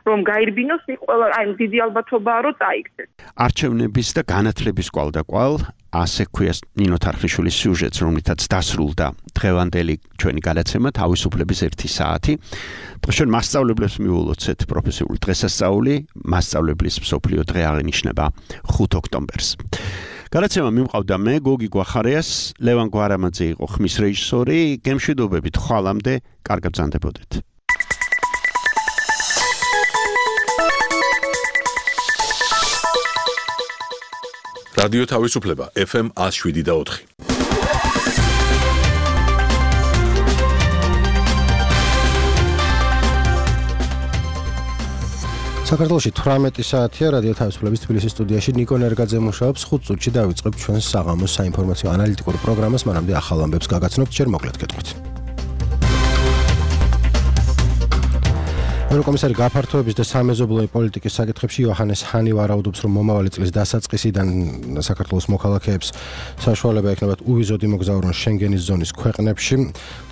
რომ გაირბინოს, იქ ყველა აი დიდი ალბათობაა რომ წაიგდეს. არჩევნების და განათლების კვალდაკვალ ასე ქვია ნინო თარხნიშვილის სიუჟეტს, რომლითაც დასრულდა დღევანდელი ჩვენი გადაცემა თავისუფლების 1 საათი. ჩვენ მასწავლებლებს მივულოცეთ პროფესიული დღესასწაული, მასწავლებლის მსოფლიო დღე აღინიშნება 5 ოქტომბერს. გადაცემა მიმყავდა მე, გოგი გვახარიას, ლევან გვარამაძე იყო ხმის რეჟისორი, გემშვიდობებით ხვალამდე, კარგად ბრძანდებოდეთ. რადიო თავისუფლება FM 107.4. საქართველოში 18 საათია რადიო თავისუფლების თბილისის სტუდიაში ნიკო ნერგაძე მუშაობს 5 წუთში დავიწყებთ ჩვენს საღამოს საინფორმაციო ანალიტიკურ პროგრამას, მანამდე ახალ ამბებს გაგაცნობთ, ჯერ მოკლედ გეტყვით. ევროკომისარი გაფართოების და სამეზობლოი პოლიტიკის საკითხებში იოჰანეს ჰანი ვარაუდობს, რომ მომავალი წლის დასაწყისიდან საქართველოს მოქალაქეებს საშუალება ექნებათ უვიზოდ იმოგზაურონ შენგენის ზონის ქვეყნებში.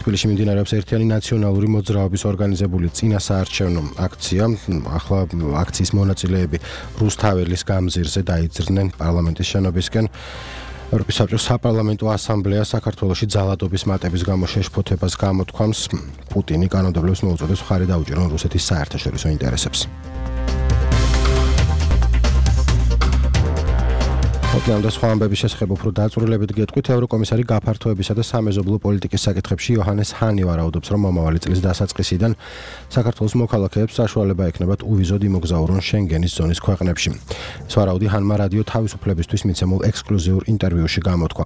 თბილისში მიმდინარეობს ერთიანი ნაციონალური მოძრაობის ორგანიზებული წინასაარჩევნო აქცია. ახლა აქციის მონაწილეები რუსთაველის გამზირზე დაიძრნენ პარლამენტის შენობისკენ. ევროპის საბჭოს საპარლამენტო ასამბლეა საქართველოში ძალადობის მატების გამო შეშფოთებას გამოთქვამს. პუტინი კანონმდებლებს მოუწოდებს მხარი დაუჭირონ რუსეთის საერთაშორისო ინტერესებს. ოპლან და სხვა ამბების შესახებ უფრო დაწვრილებით გეტყვით. ევროკომისარი გაფართოებისა და სამეზობლო პოლიტიკის საკითხებში იოჰანეს ჰანი ვარაუდობს, რომ მომავალი წლის დასაწყისიდან საქართველოს მოქალაქეებს საშუალება ექნებათ უვიზოდ იმოგზაურონ შენგენის ზონის ქვეყნებში. ეს ვარაუდი ჰანმა რადიო თავისუფლებისთვის მიცემულ ექსკლუზიურ ინტერვიუში გამოთქვა.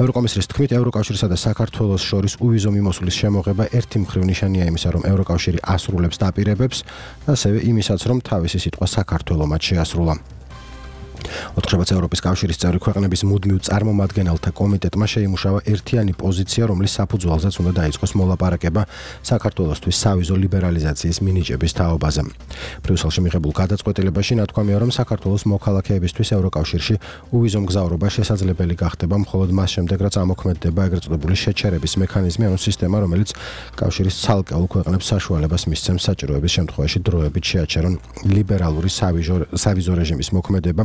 ევროკომისრის თქმით, ევროკავშირსა და საქართველოს შორის უვიზო მიმოსვლის შემოღება ერთი მხრივ ნიშანია იმისა, რომ ევროკავშირი ასრულებს დაპირებებს, ასევე იმისაც, რომ თავისი სიტყვა საქართველოს მათ შეასრულა. 4 ევროპის კავშირის წევრი ქვეყნების მუდმივ წარმომადგენელთა კომიტეტმა შეიმუშავა ერთიანი პოზიცია, რომლის საფუძველზეც უნდა დაიწყოს მოლაპარაკება საქართველოსთვის სავიზო ლიბერალიზაციის მინიჭების თაობაზე. ბრიუსელში მიღებულ გადაწყვეტილებაში ნათქვამია, რომ საქართველოს მოქალაქეებისთვის ევროკავშირში უვიზო მგზავრობა შესაძლებელი გახდება მხოლოდ მას შემდეგ, რაც ამოქმედდება ეგრეთ წოდებული შეჩერების მექანიზმი, ანუ სისტემა, რომელიც კავშირის ცალკეულ ქვეყნებს საშუალებას მისცემს საჭიროების შემთხვევაში დროებით შეაჩერონ ლიბერალური სავიზო რეჟიმის მოქმედება.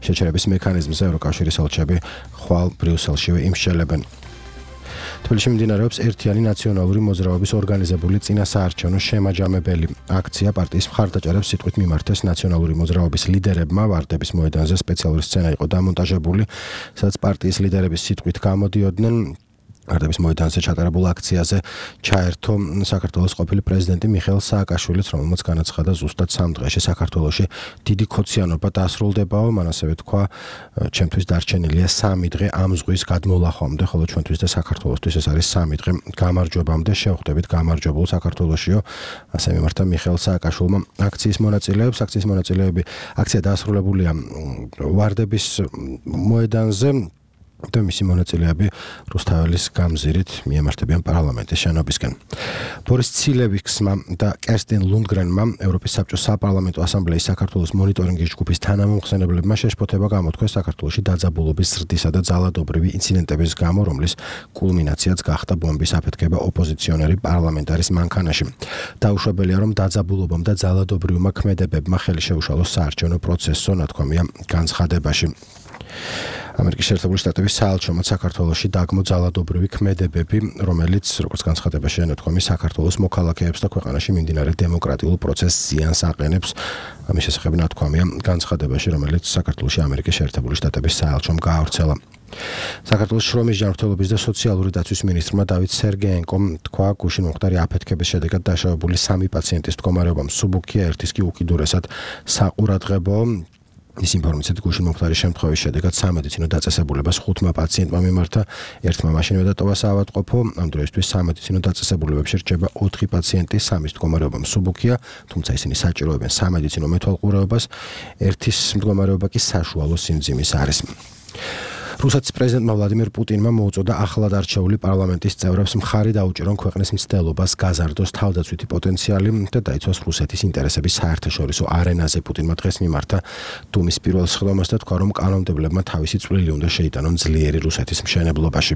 შეჩერების მექანიზმზე ევროკავშირის ელჩები ხვალ ბრიუსელშივე იმსჯელებენ. თბილისში მიმდინარეობს ერთიანი ნაციონალური მოძრაობის ორგანიზებული წინასაარჩევნო შემაჯამებელი აქცია. პარტიის მხარდაჭერებს სიტყვით მიმართეს ნაციონალური მოძრაობის ლიდერებმა. ვარდების მოედანზე სპეციალური სცენა იყო დამონტაჟებული, სადაც პარტიის ლიდერების სიტყვით გამოდიოდნენ. ვარდების მოედანზე ჩატარებულ აქციაზე ჩაერთო საქართველოს ყოფილი პრეზიდენტი მიხეილ სააკაშვილიც, რომელმაც განაცხადა ზუსტად 3 დღეში საქართველოში დიდი ქოციანობა დასრულდებაო. მან ასევე თქვა, ჩემთვის დარჩენილია 3 დღე ამ ზღვის გადმოლახვამდე, ხოლო ჩვენთვის და საქართველოსთვის ეს არის 3 დღე გამარჯვებამდე. შევხვდებით გამარჯვებულ საქართველოშიო, ასე მიმართა მიხეილ სააკაშვილმა აქციის მონაწილეებს. აქციის მონაწილეები აქცია დასრულებულია ვარდების მოედანზე. და მისი მონაწილეები რუსთაველის გამზირით მიემართებიან პარლამენტის შენობისკენ. ბორის ცილევიქსმა და კერსტინ ლუნდგრენმა ევროპის საბჭოს საპარლამენტო ასამბლეის საქართველოს მონიტორინგის ჯგუფის თანამომხსენებლებმა შეშფოთება გამოთქვეს საქართველოში დაძაბულობის ზრდისა და ძალადობრივი ინციდენტების გამო, რომლის კულმინაციაც გახდა ბომბის აფეთქება ოპოზიციონერი პარლამენტარის მანქანაში. დაუშვებელია, რომ დაძაბულობამ და ძალადობრივმა ქმედებებმა ხელი შეუშალოს საარჩევნო პროცესო, ნათქვამია განცხადებაში. ამერიკის შეერთებული შტატების საელჩომაც საქართველოში დაგმო ძალადობრივი ქმედებები, რომელიც, როგორც განცხადებაში ენათქვამი, საქართველოს მოქალაქეებს და ქვეყანაში მიმდინარე დემოკრატიულ პროცესს ზიანს აყენებს. ამის შესახებ ნათქვამია განცხადებაში, რომელიც საქართველოში ამერიკის შეერთებული შტატების საელჩომ გაავრცელა. საქართველოს შრომის ჯანმრთელობის და სოციალური დაცვის მინისტრმა დავით სერგეენკომ თქვა, გუშინ მომხდარი აფეთქების შედეგად დაშავებული 3 პაციენტის მდგომარეობა მსუბუქია, ერთის კი უკიდურესად საყურადღებოა. ის ინფორმაციით გუშინ მომხდარი შემთხვევის შედეგად სამედიცინო დაწესებულებას 5 პაციენტმა მიმართა, ერთმა მაშინვე დატოვა საავადმყოფო. ამ დროისთვის სამედიცინო დაწესებულებებში რჩება 4 პაციენტი, 3-ის მდგომარეობა მსუბუქია, თუმცა ისინი საჭიროებენ სამედიცინო მეთვალყურეობას, ერთის მდგომარეობა კი საშუალო სიმძიმის არის. რუსეთის პრეზიდენტმა ვლადიმირ პუტინმა მოუწოდა ახლად არჩეული პარლამენტის წევრებს მხარი დაუჭირონ ქვეყნის მცდელობას გაზარდოს თავდაცვითი პოტენციალი და დაიცვას რუსეთის ინტერესების საერთაშორისო არენაზე. პუტინმა დღეს მიმართა დუმის პირველ სხდომას და თქვა, რომ კანონმდებლებმა თავისი წვლილი უნდა შეიტანონ ძლიერი რუსეთის მშენებლობაში.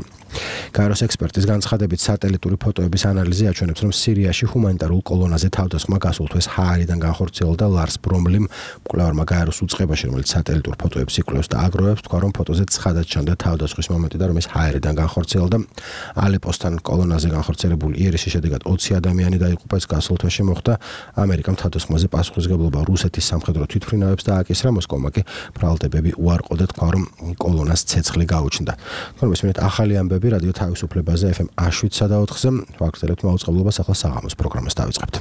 გაეროს ექსპერტის განცხადებით, სატელიტური ფოტოების ანალიზი აჩვენებს, რომ სირიაში ჰუმანიტარულ კოლონაზე თავდასხმა გასულ თვეს ჰაერიდან განხორციელდა ლარს ბრომლიმ, მკვლევარმა გაეროს უწყებაში, რომელიც სატელიტურ ფოტოებს იკვლევს და აგროვებს, თქვა, რომ ფოტოზე ცხადად ჩანდა თავდასხმის მომენტი და რომ ეს ჰაერიდან განხორციელდა. ალეპოსთან კოლონაზე განხორციელებული იერიშის შედეგად 20 ადამიანი დაიღუპა. ეს გასულ თვეში მოხდა. ამერიკამ თავდასხმაზე პასუხისმგებლობა რუსეთის სამხედრო თვითმფრინავებს დააკისრა. მოსკოვმა კი ბრალდებები უარყო და თქვა, რომ კოლონას ცეცხლი გაუჩნდა. თქო, მისმენთ ახალი ამბები რადიო თავისუფლებაზე FM A7-ზე. ვაგრძელებთ მაუწყებლობას, ახლა საღამოს პროგრამას დავიწყებთ.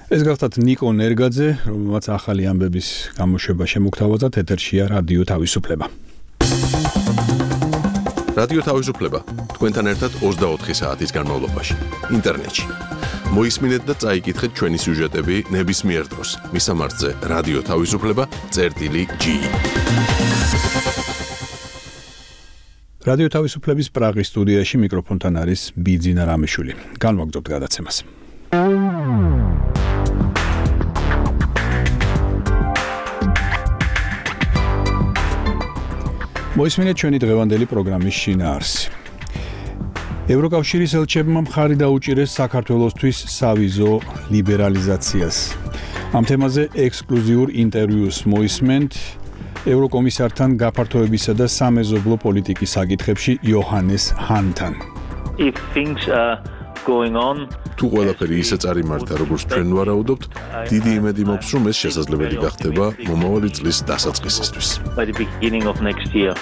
ეს გახლავთ ნიკო ნერგაძე, რომელმაც ახალი ამბების გამოშვება შემოგთავაზა. ეთერშია რადიო თავისუფლება. რადიო თავისუფლება თქვენთან ერთად 24 საათის განმავლობაში ინტერნეტში. მოისმინეთ და წაიკითხეთ ჩვენი სიუჟეტები ნებისმიერ დროს. მისამართზე რადიო თავისუფლება.ge. რადიო თავისუფლების პრაღის სტუდიაში მიკროფონთან არის ბიძინა რამიშვილი. განვაგრძობთ გადაცემას. მოისმინეთ ჩვენი დღევანდელი პროგრამის შინაარსი. ევროკავშირის ელჩებმა მხარი დაუჭირეს საქართველოსთვის სავიზო ლიბერალიზაციას. ამ თემაზე ექსკლუზიურ ინტერვიუს მოისმენთ ევროკომისართან გაფართოებისა და სამეზობლო პოლიტიკის საკითხებში იოჰანეს ჰანთან. If things are going on, თუ ყველაფერი ისე წარიმართა, როგორც ჩვენ ვარაუდობთ, დიდი იმედი მაქვს, რომ ეს შესაძლებელი გახდება მომავალი წლის დასაწყისისთვის. by the beginning of next year.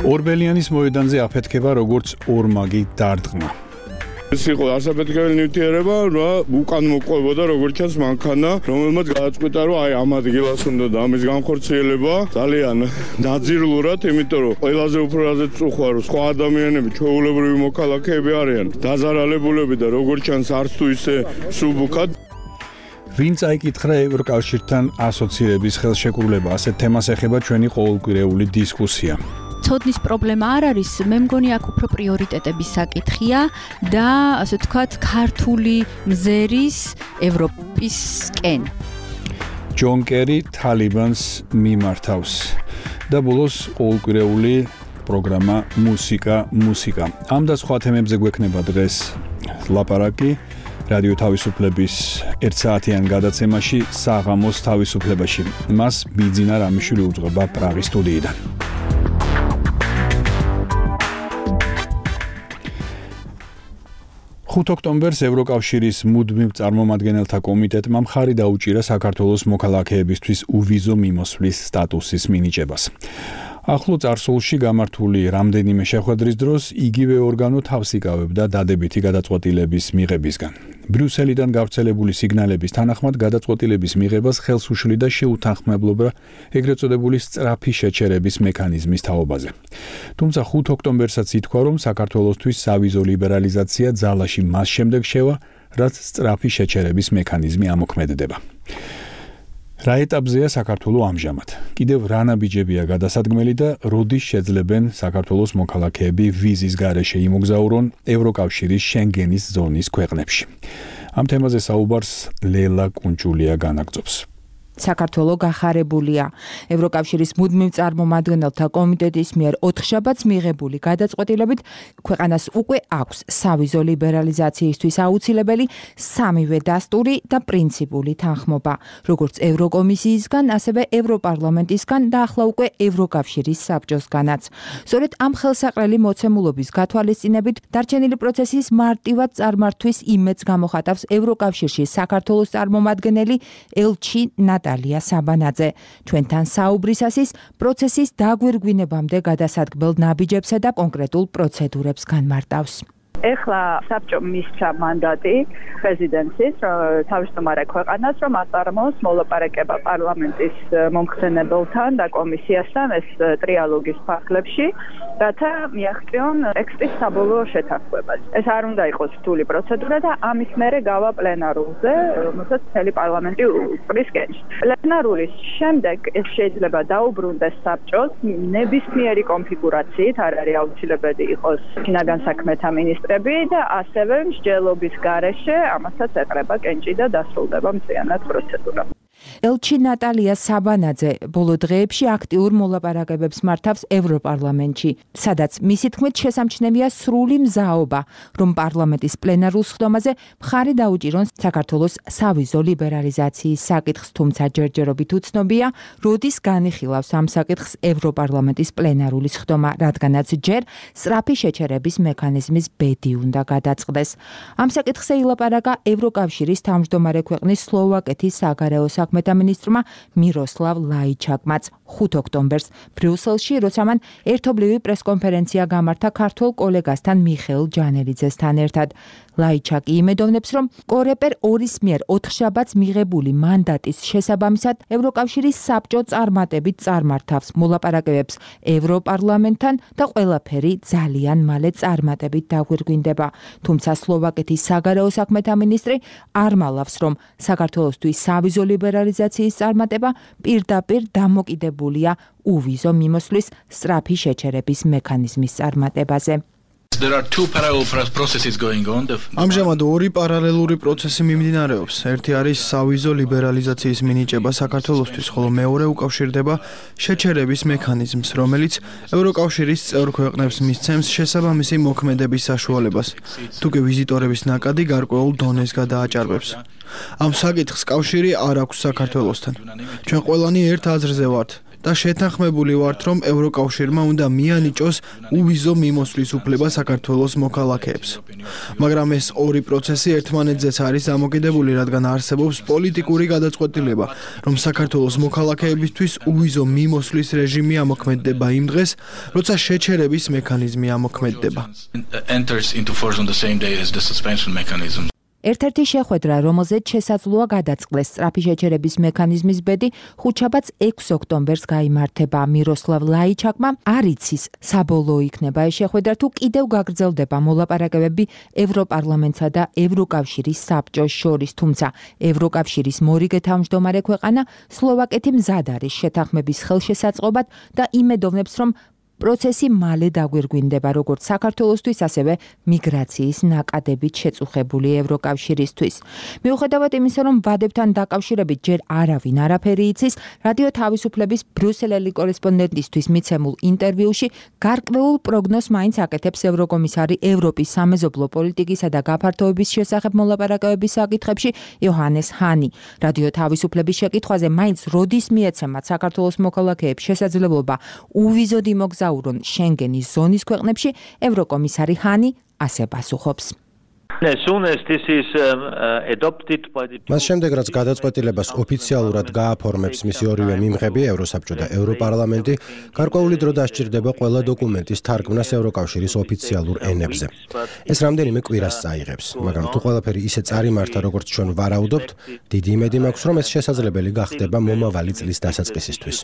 ორბელიანის მოედანზე აფეთქება როგორც ორმაგი დარტყმა. ეს იყო ასაფეთქებელი ნივთიერება, უკან მოყვებოდა როგორც ჩანს მანქანა, რომელმაც გადაწყვიტა, რომ აი ამ ადგილას უნდა და ამის განხორციელება ძალიან დაძიрлურად, იმიტომ რომ ყველაზე უფრო რაზეც წუხვა, რომ სხვა ადამიანები, ჩვეულებრივი მოქალაქეები არიან დაზარალებულები და როგორც ჩანს არც თუ ისე სუბუქად. ვინ წაიკითხა ევროკავშირთან ასოცირების ხელშეკრულება, ასეთ თემას ეხება ჩვენი ყოველკვირეული დისკუსია. ცოდნის პრობლემა არ არის, მე მგონი აქ უფრო პრიორიტეტების საკითხია და ასე ვთქვათ, ქართული მზერის ევროპისკენ. ჯონ კერი თალიბანს მიმართავს და ბოლოს ყოველკვირეული პროგრამა მუსიკა. ამ და სხვა თემებზე გვექნება დღეს ლაპარაკი რადიო თავისუფლების 1 საათიან გადაცემაში საღამოს თავისუფლებაში. მას ბიძინა რამიშვილი უძღვება პრაღის სტუდიიდან. 5 ოქტომბერს ევროკავშირის მუდმივ წარმომადგენელთა კომიტეტმა მხარი დაუჭირა საქართველოს მოქალაქეებისთვის უვიზო მიმოსვლის სტატუსის მინიჭებას. ახლო წარსულში გამართული რამდენიმე შეხვედრის დროს იგივე ორგანო თავს იკავებდა დადებითი გადაწყვეტილების მიღებისგან. ბრიუსელიდან გავრცელებული სიგნალების თანახმად გადაწყვეტილების მიღებას ხელს უშლიდა შეუთანხმებლობა ეგრეთ წოდებული სწრაფი შეჩერების მექანიზმის თაობაზე. თუმცა 5 ოქტომბერსაც ითქვა, რომ საქართველოსთვის სავიზო ლიბერალიზაცია ძალაში მას შემდეგ შევა, რაც სწრაფი შეჩერების მექანიზმი ამოქმედდება. რა ეტაპზეა საქართველოს ამჟამად? კიდევ რა ნაბიჯებია გადასადგმელი და როდის შეძლებენ საქართველოს მოქალაქეები ვიზის გარეშე იმოგზაურონ ევროკავშირის შენგენის ზონის ქვეყნებში? ამ თემაზე საუბარს ლელა კუნჭულია განაგრძობს. საქართველო გახარებულია. ევროკავშირის მუდმივ წარმომადგენელთა კომიტეტის მიერ 4 შაბათს მიღებული გადაწყვეტილებით ქვეყანას უკვე აქვს სავიზო ლიბერალიზაციისთვის აუცილებელი სამივე დასტური და პრინციპული თანხმობა, როგორც ევროკომისიისგან, ასევე ევროპარლამენტისგან და ახლა უკვე ევროკავშირის საბჭოსგანაც. სწორედ ამ ხელსაყრელი მოცემულობის გათვალისწინებით დარჩენილი პროცესის მარტივად წარმართვის იმედს გამოხატავს ევროკავშირში საქართველოს წარმომადგენელი ელჩი ნატალია საბანაძე. ჩვენთან საუბრისას პროცესის დაგვირგვინებამდე გადასადგმელ ნაბიჯებსა და კონკრეტულ პროცედურებს განმარტავს. ეხლა საბჭო მისცა მანდატი პრეზიდენტის თავმჯდომარე ქვეყანას, რომ აწარმოოს მოლაპარაკება პარლამენტის მომხსენებელთან და კომისიასთან ეს ტრიალოგის ფარგლებში, რათა მიაღწიონ ტექსტის საბოლოო შეთანხმებას. ეს არ უნდა იყოს რთული პროცედურა და ამის მერე გავა პლენარულზე, რომელსაც მთელი პარლამენტი უწყრის კენჭს. პლენარულის შემდეგ ეს შეიძლება დაუბრუნდეს საბჭოს ნებისმიერი კონფიგურაციით, არ არის აუცილებელი იყოს შინაგან საქმეთა მინისტრი და ასევე მსჯელობის გარეშე ამასაც ეყრება კენჭი და დასრულდება მთლიანად პროცედურა. ელჩი ნატალია საბანაძე ბოლო დღეებში აქტიურ მოლაპარაკებებს მართავს ევროპარლამენტში, სადაც მისი თქმით შესამჩნევია სრული მზაობა, რომ პარლამენტის პლენარულ სხდომაზე მხარი დაუჭირონ საქართველოს სავიზო ლიბერალიზაციის საკითხს, თუმცა ჯერჯერობით უცნობია, როდის განიხილავს ამ საკითხს ევროპარლამენტის პლენარული სხდომა, რადგანაც ჯერ სწრაფი შეჩერების მექანიზმის ბედი უნდა გადაწყდეს. ამ საკითხზე ილაპარაკა ევროკავშირის თავმჯდომარე ქვეყნის სლოვაკეთის საგარეო საქმეთა მინისტრმა მიროსლავ ლაიჩაკმაც 5 ოქტომბერს ბრიუსელში, როცა მან ერთობლივი პრესკონფერენცია გამართა ქართველ კოლეგასთან მიხეილ ჯანელიძესთან ერთად. ლაიჩაკი იმედოვნებს, რომ კორეპერ 2-ის მიერ 4 შაბათს მიღებული მანდატის შესაბამისად ევროკავშირის საბჭო წარმატებით წარმართავს მოლაპარაკებებს ევროპარლამენტთან და ყველაფერი ძალიან მალე წარმატებით დაგვირგვინდება. თუმცა სლოვაკეთის საგარეო საქმეთა მინისტრი არ მალავს, რომ საქართველოსთვის სავიზო ლიბერალიზაციის წარმატება პირდაპირ დამოკიდებულია უვიზო მიმოსვლის სწრაფი შეჩერების მექანიზმის წარმატებაზე. ამჟამად ორი პარალელური პროცესი მიმდინარეობს. ერთი არის სავიზო ლიბერალიზაციის მინიჭება საქართველოსთვის, ხოლო მეორე უკავშირდება შეჩერების მექანიზმს, რომელიც ევროკავშირის წევრ ქვეყნებს მისცემს შესაბამისი მოქმედების საშუალებას, თუკი ვიზიტორების ნაკადი გარკვეულ დონეს გადააჭარბებს. ამ საკითხს კავშირი არ აქვს საქართველოსთან. ჩვენ ყველანი ერთ აზრზე ვართ. და შეთანხმებული ვართ, რომ ევროკავშირმა უნდა მიანიჭოს უვიზო მიმოსვლის უფლება საქართველოს მოქალაქეებს. მაგრამ ეს ორი პროცესი ერთმანეთზეც არის დამოკიდებული, რადგან არსებობს პოლიტიკური გადაწყვეტილება, რომ საქართველოს მოქალაქეებისთვის უვიზო მიმოსვლის რეჟიმი ამოქმედდება იმ დღეს, როცა შეჩერების მექანიზმი ამოქმედდება. ერთ-ერთი შეხვედრა, რომელზეც შესაძლოა გადაწყდეს სწრაფი შეჩერების მექანიზმის ბედი, ხუთშაბათს 6 ოქტომბერს გაიმართება. მიროსლავ ლაიჩაკმა არ იცის, საბოლოო იქნება ეს შეხვედრა თუ კიდევ გაგრძელდება მოლაპარაკებები ევროპარლამენტსა და ევროკავშირის საბჭოს შორის, თუმცა ევროკავშირის მორიგე თავმჯდომარე ქვეყანა სლოვაკეთი მზად არის შეთანხმების ხელშესაწყობად და იმედოვნებს, რომ პროცესი მალე დაგვირგვინდება როგორც საქართველოსთვის, ასევე მიგრაციის ნაკადებით შეწუხებული ევროკავშირისთვის. მიუხედავად იმისა, რომ ვადებთან დაკავშირებით ჯერ არავინ არაფერი იცის, რადიო თავისუფლების ბრიუსელელი კორესპონდენტისთვის მიცემულ ინტერვიუში გარკვეულ პროგნოზს მაინც აკეთებს ევროკომისარი ევროპის სამეზობლო პოლიტიკისა და გაფართოების შესახებ მოლაპარაკებების საკითხებში იოჰანეს ჰანი. რადიო თავისუფლების შეკითხვაზე მაინც როდის მიეცემათ საქართველოს მოქალაქეებს შესაძლებლობა უვიზოდ იმოგზაურონ შენგენის ზონის ქვეყნებში, ევროკომისარი ჰანი ასე პასუხობს. მას შემდეგ, რაც გადაწყვეტილებას ოფიციალურად გააფორმებს მისი ორივე მიმღები, ევროსაბჭო და ევროპარლამენტი, გარკვეული დრო დასჭირდება ყველა დოკუმენტის თარგმნას ევროკავშირის ოფიციალურ ენებზე. ეს რამდენიმე კვირას წაიღებს, მაგრამ თუ ყველაფერი ისე წარიმართა, როგორც ჩვენ ვარაუდობთ, დიდი იმედი მაქვს, რომ ეს შესაძლებელი გახდება მომავალი წლის დასაწყისისთვის.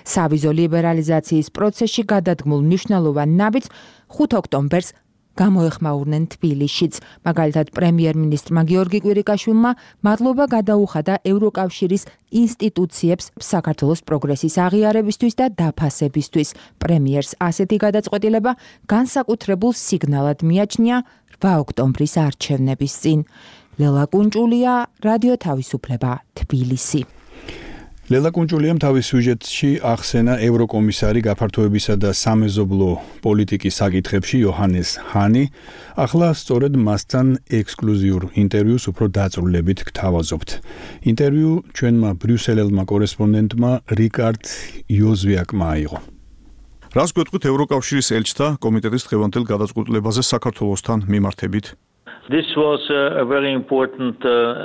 სავიზო ლიბერალიზაციის პროცესში გადადგმულ მნიშვნელოვან ნაბიჯს 5 ოქტომბერს გამოეხმაურნენ თბილისშიც. მაგალითად, პრემიერ-მინისტრმა გიორგი კვირიკაშვილმა მადლობა გადაუხადა ევროკავშირის ინსტიტუციებს საქართველოს პროგრესის აღიარებისთვის და დაფასებისთვის. პრემიერს ასეთი გადაწყვეტილება განსაკუთრებულ სიგნალად მიაჩნია 8 ოქტომბრის არჩევნების წინ. ლელა კუნჭულია, რადიო თავისუფლება, თბილისი. ლელა კუნჭულიამ თავის სიუჟეტში ახსენა ევროკომისარი გაფართოებისა და სამეზობლო პოლიტიკის საკითხებში იოჰანეს ჰანი. ახლა სწორედ მასთან ექსკლუზიურ ინტერვიუს უფრო დაწვრილებით გთავაზობთ. ინტერვიუ ჩვენმა ბრიუსელელმა კორესპონდენტმა რიკარდ იოზვიაკმა აიღო. რას გვეტყვით ევროკავშირის ელჩთა კომიტეტის დღევანდელ გადაწყვეტილებაზე საქართველოსთან მიმართებით? This was a very important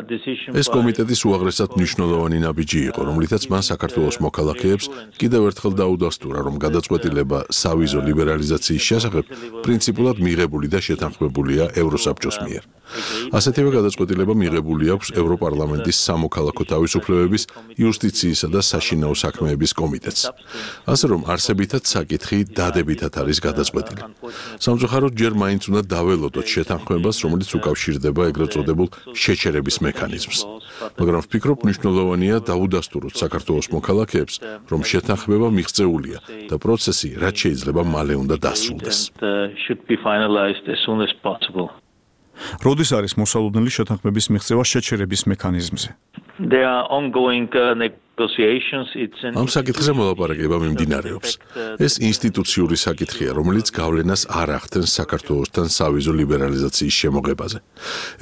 decision. ეს კომიტეტის უაღრესად მნიშვნელოვანი ნაბიჯი იყო, რომლითაც მან საქართველოს მოქალაქეებს კიდევ ერთხელ დაუდასტურა, რომ გადაწყვეტილება სავიზო ლიბერალიზაციის შესახებ პრინციპულად მიღებული და შეთანხმებულია ევროსაბჭოს მიერ. ასეთივე გადაწყვეტილება მიღებული აქვს ევროპარლამენტის სამოქალაქო თავისუფლებების, იუსტიციისა და საშინაო საქმეების კომიტეტს. ასე რომ არსებითად საკითხი დადებითად არის გადაწყვეტილი. სამწუხაროდ ჯერ მაინც უნდა დაველოდოთ შეთანხმებას, რომელიც უკავშირდება ეგრეთ წოდებულ შეჩერების მექანიზმს. მაგრამ ვფიქრობ, მნიშვნელოვანია დაუდასტუროთ საქართველოს მოქალაქეებს, რომ შეთანხმება მიღწეულია და პროცესი რაც შეიძლება მალე უნდა დასრულდეს. როდის არის მოსალოდნელი შეთანხმების მიღწევა შეჩერების მექანიზმზე? There are ongoing negotiations. ამ საკითხზე მოლაპარაკება მიმდინარეობს. ეს ინსტიტუციური საკითხია, რომელიც გავლენას არ ახდენს საქართველოსთან სავიზო ლიბერალიზაციის შემოღებაზე.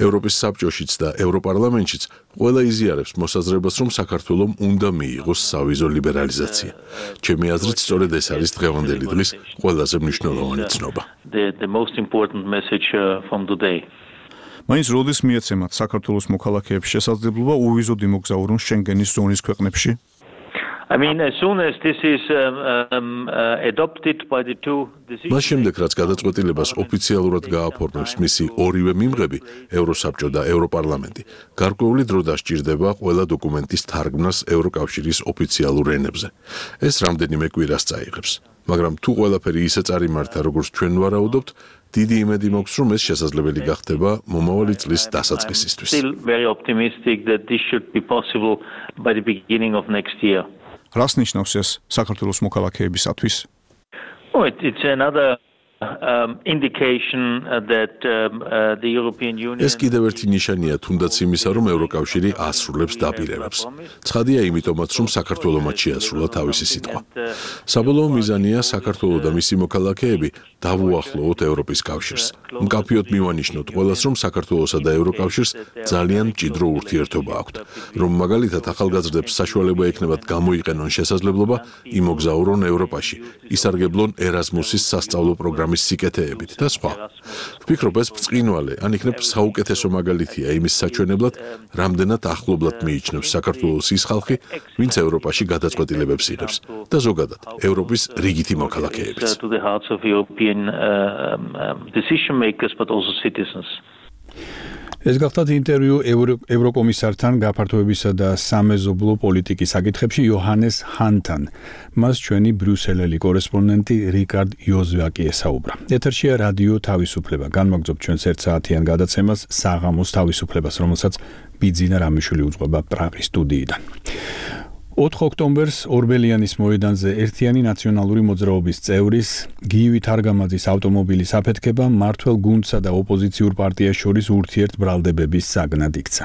ევროპის საბჭოშიც და ევროპარლამენტშიც ყველა იზიარებს მოსაზრებას, რომ საქართველომ უნდა მიიღოს სავიზო ლიბერალიზაცია. ჩემი აზრით, სწორედ ეს არის დღევანდელი დღის ყველაზე მნიშვნელოვანი ცნობა. The most important message from today. მაინც როდის მიეცემათ საქართველოს მოქალაქეებს შესაძლებლობა უვიზოდ იმოგზაურონ შენგენის ზონის ქვეყნებში? I mean, as soon as this is adopted by the two decisions. მას შემდეგ, რაც გადაწყვეტილებას ოფიციალურად გააფორმებს მისი ორივე მიმღები, ევროსაბჭო და ევროპარლამენტი, გარკვეული დრო დასჭირდება ყველა დოკუმენტის თარგმნას ევროკავშირის ოფიციალურ ენებზე. ეს რამდენიმე კვირას წაიღებს. მაგრამ თუ ყველაფერი ისე წარიმართა, როგორც ჩვენ ვარაუდობთ, დიდი იმედი მაქვს, რომ ეს შესაძლებელი გახდება მომავალი წლის დასაწყისისთვის. Still very optimistic that this should be possible by the beginning of next year. რას ნიშნავს ეს საქართველოს მოქალაქეებისათვის? Oh, it's another indication that the European Union ეს კიდევ ერთი ნიშანია თუნდაც იმისა, რომ ევროკავშირი ასრულებს დაპირებებს. ცხადია იმიტომაც, რომ საქართველომაც შეასრულა თავისი სიტყვა. საბოლოო მიზანია საქართველო და მისი მოქალაქეები დავუახლოვოთ ევროპის კავშირს. მკაფიოდ მივანიშნოთ ყველას, რომ საქართველოსა და ევროკავშირს ძალიან მჭიდრო ურთიერთობა აქვთ. რომ მაგალითად ახალგაზრდებს საშუალება ექნებათ გამოიყენონ შესაძლებლობა იმოგზაურონ ევროპაში, ისარგებლონ ერასმუსის სასწავლო პროგრამის სიკეთეებით და სხვა. ვფიქრობ, ეს ბრწყინვალე, ან იქნებ საუკეთესო მაგალითია იმის საჩვენებლად, რამდენად ახლობლად მიიჩნევს საქართველოს ის ხალხი, ვინც ევროპაში გადაწყვეტილებებს იღებს და ზოგადად ევროპის რიგითი მოქალაქეებიც. ეს გახლავთ ინტერვიუ ევროკომისართან გაფართოებისა და სამეზობლო პოლიტიკის საკითხებში იოჰანეს ჰანთან. მას ჩვენი ბრიუსელელი კორესპონდენტი რიკარდ იოზვაკი ესაუბრა. ეთერშია რადიო თავისუფლება. განმაგრძობთ ჩვენს ერთ საათიან გადაცემას საღამოს თავისუფლებას, რომელსაც ბიძინა რამიშვილი უძღვება პრაღის სტუდიიდან. 4 ოქტომბერს ორბელიანის მოედანზე ერთიანი ნაციონალური მოძრაობის წევრის გივი თარგამაძის ავტომობილის აფეთქება მმართველ გუნდსა და ოპოზიციურ პარტიას შორის ურთიერთბრალდებების საგნად იქცა.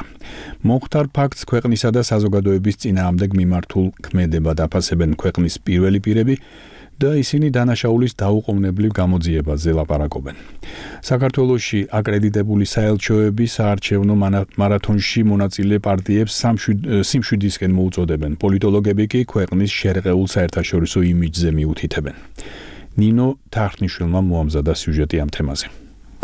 მოხდარ ფაქტს ქვეყნისა და საზოგადოების წინააღმდეგ მიმართულ ქმედებად აფასებენ ქვეყნის პირველი პირები და ისინი დანაშაულის დაუყოვნებლივ გამოძიებაზე ლაპარაკობენ. საქართველოში აკრედიტებული საელჩოები საარჩევნო მარათონში მონაწილე პარტიებს სიმშვიდისკენ მოუწოდებენ. პოლიტოლოგები კი ქვეყნის შერყეულ საერთაშორისო იმიჯზე მიუთითებენ. ნინო თარხნიშვილმა მოამზადა სიუჟეტი ამ თემაზე.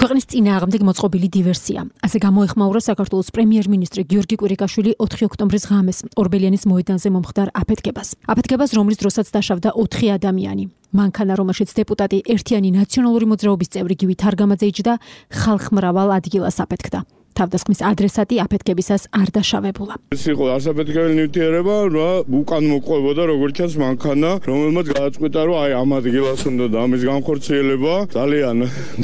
ქვეყნის წინააღმდეგ მოწყობილი დივერსია. ასე გამოეხმაურა საქართველოს პრემიერ-მინისტრი გიორგი კვირიკაშვილი 4 ოქტომბრის ღამეს ორბელიანის მოედანზე მომხდარ აფეთქებას. აფეთქებას, რომლის დროსაც დაშავდა 4 ადამიანი. მანქანა, რომელშიც დეპუტატი ერთიანი ნაციონალური მოძრაობის წევრი გივი თარგამაძე იჯდა, ხალხმრავალ ადგილას აფეთქდა. თავდასხმის ადრესატი აფეთქებისას არ დაშავებულა. ეს იყო ასაფეთქებელი ნივთიერება, უკან მოყვებოდა როგორც ჩანს მანქანა, რომელმაც გადაწყვიტა, რომ აი ამ ადგილას უნდა და ამის განხორციელება ძალიან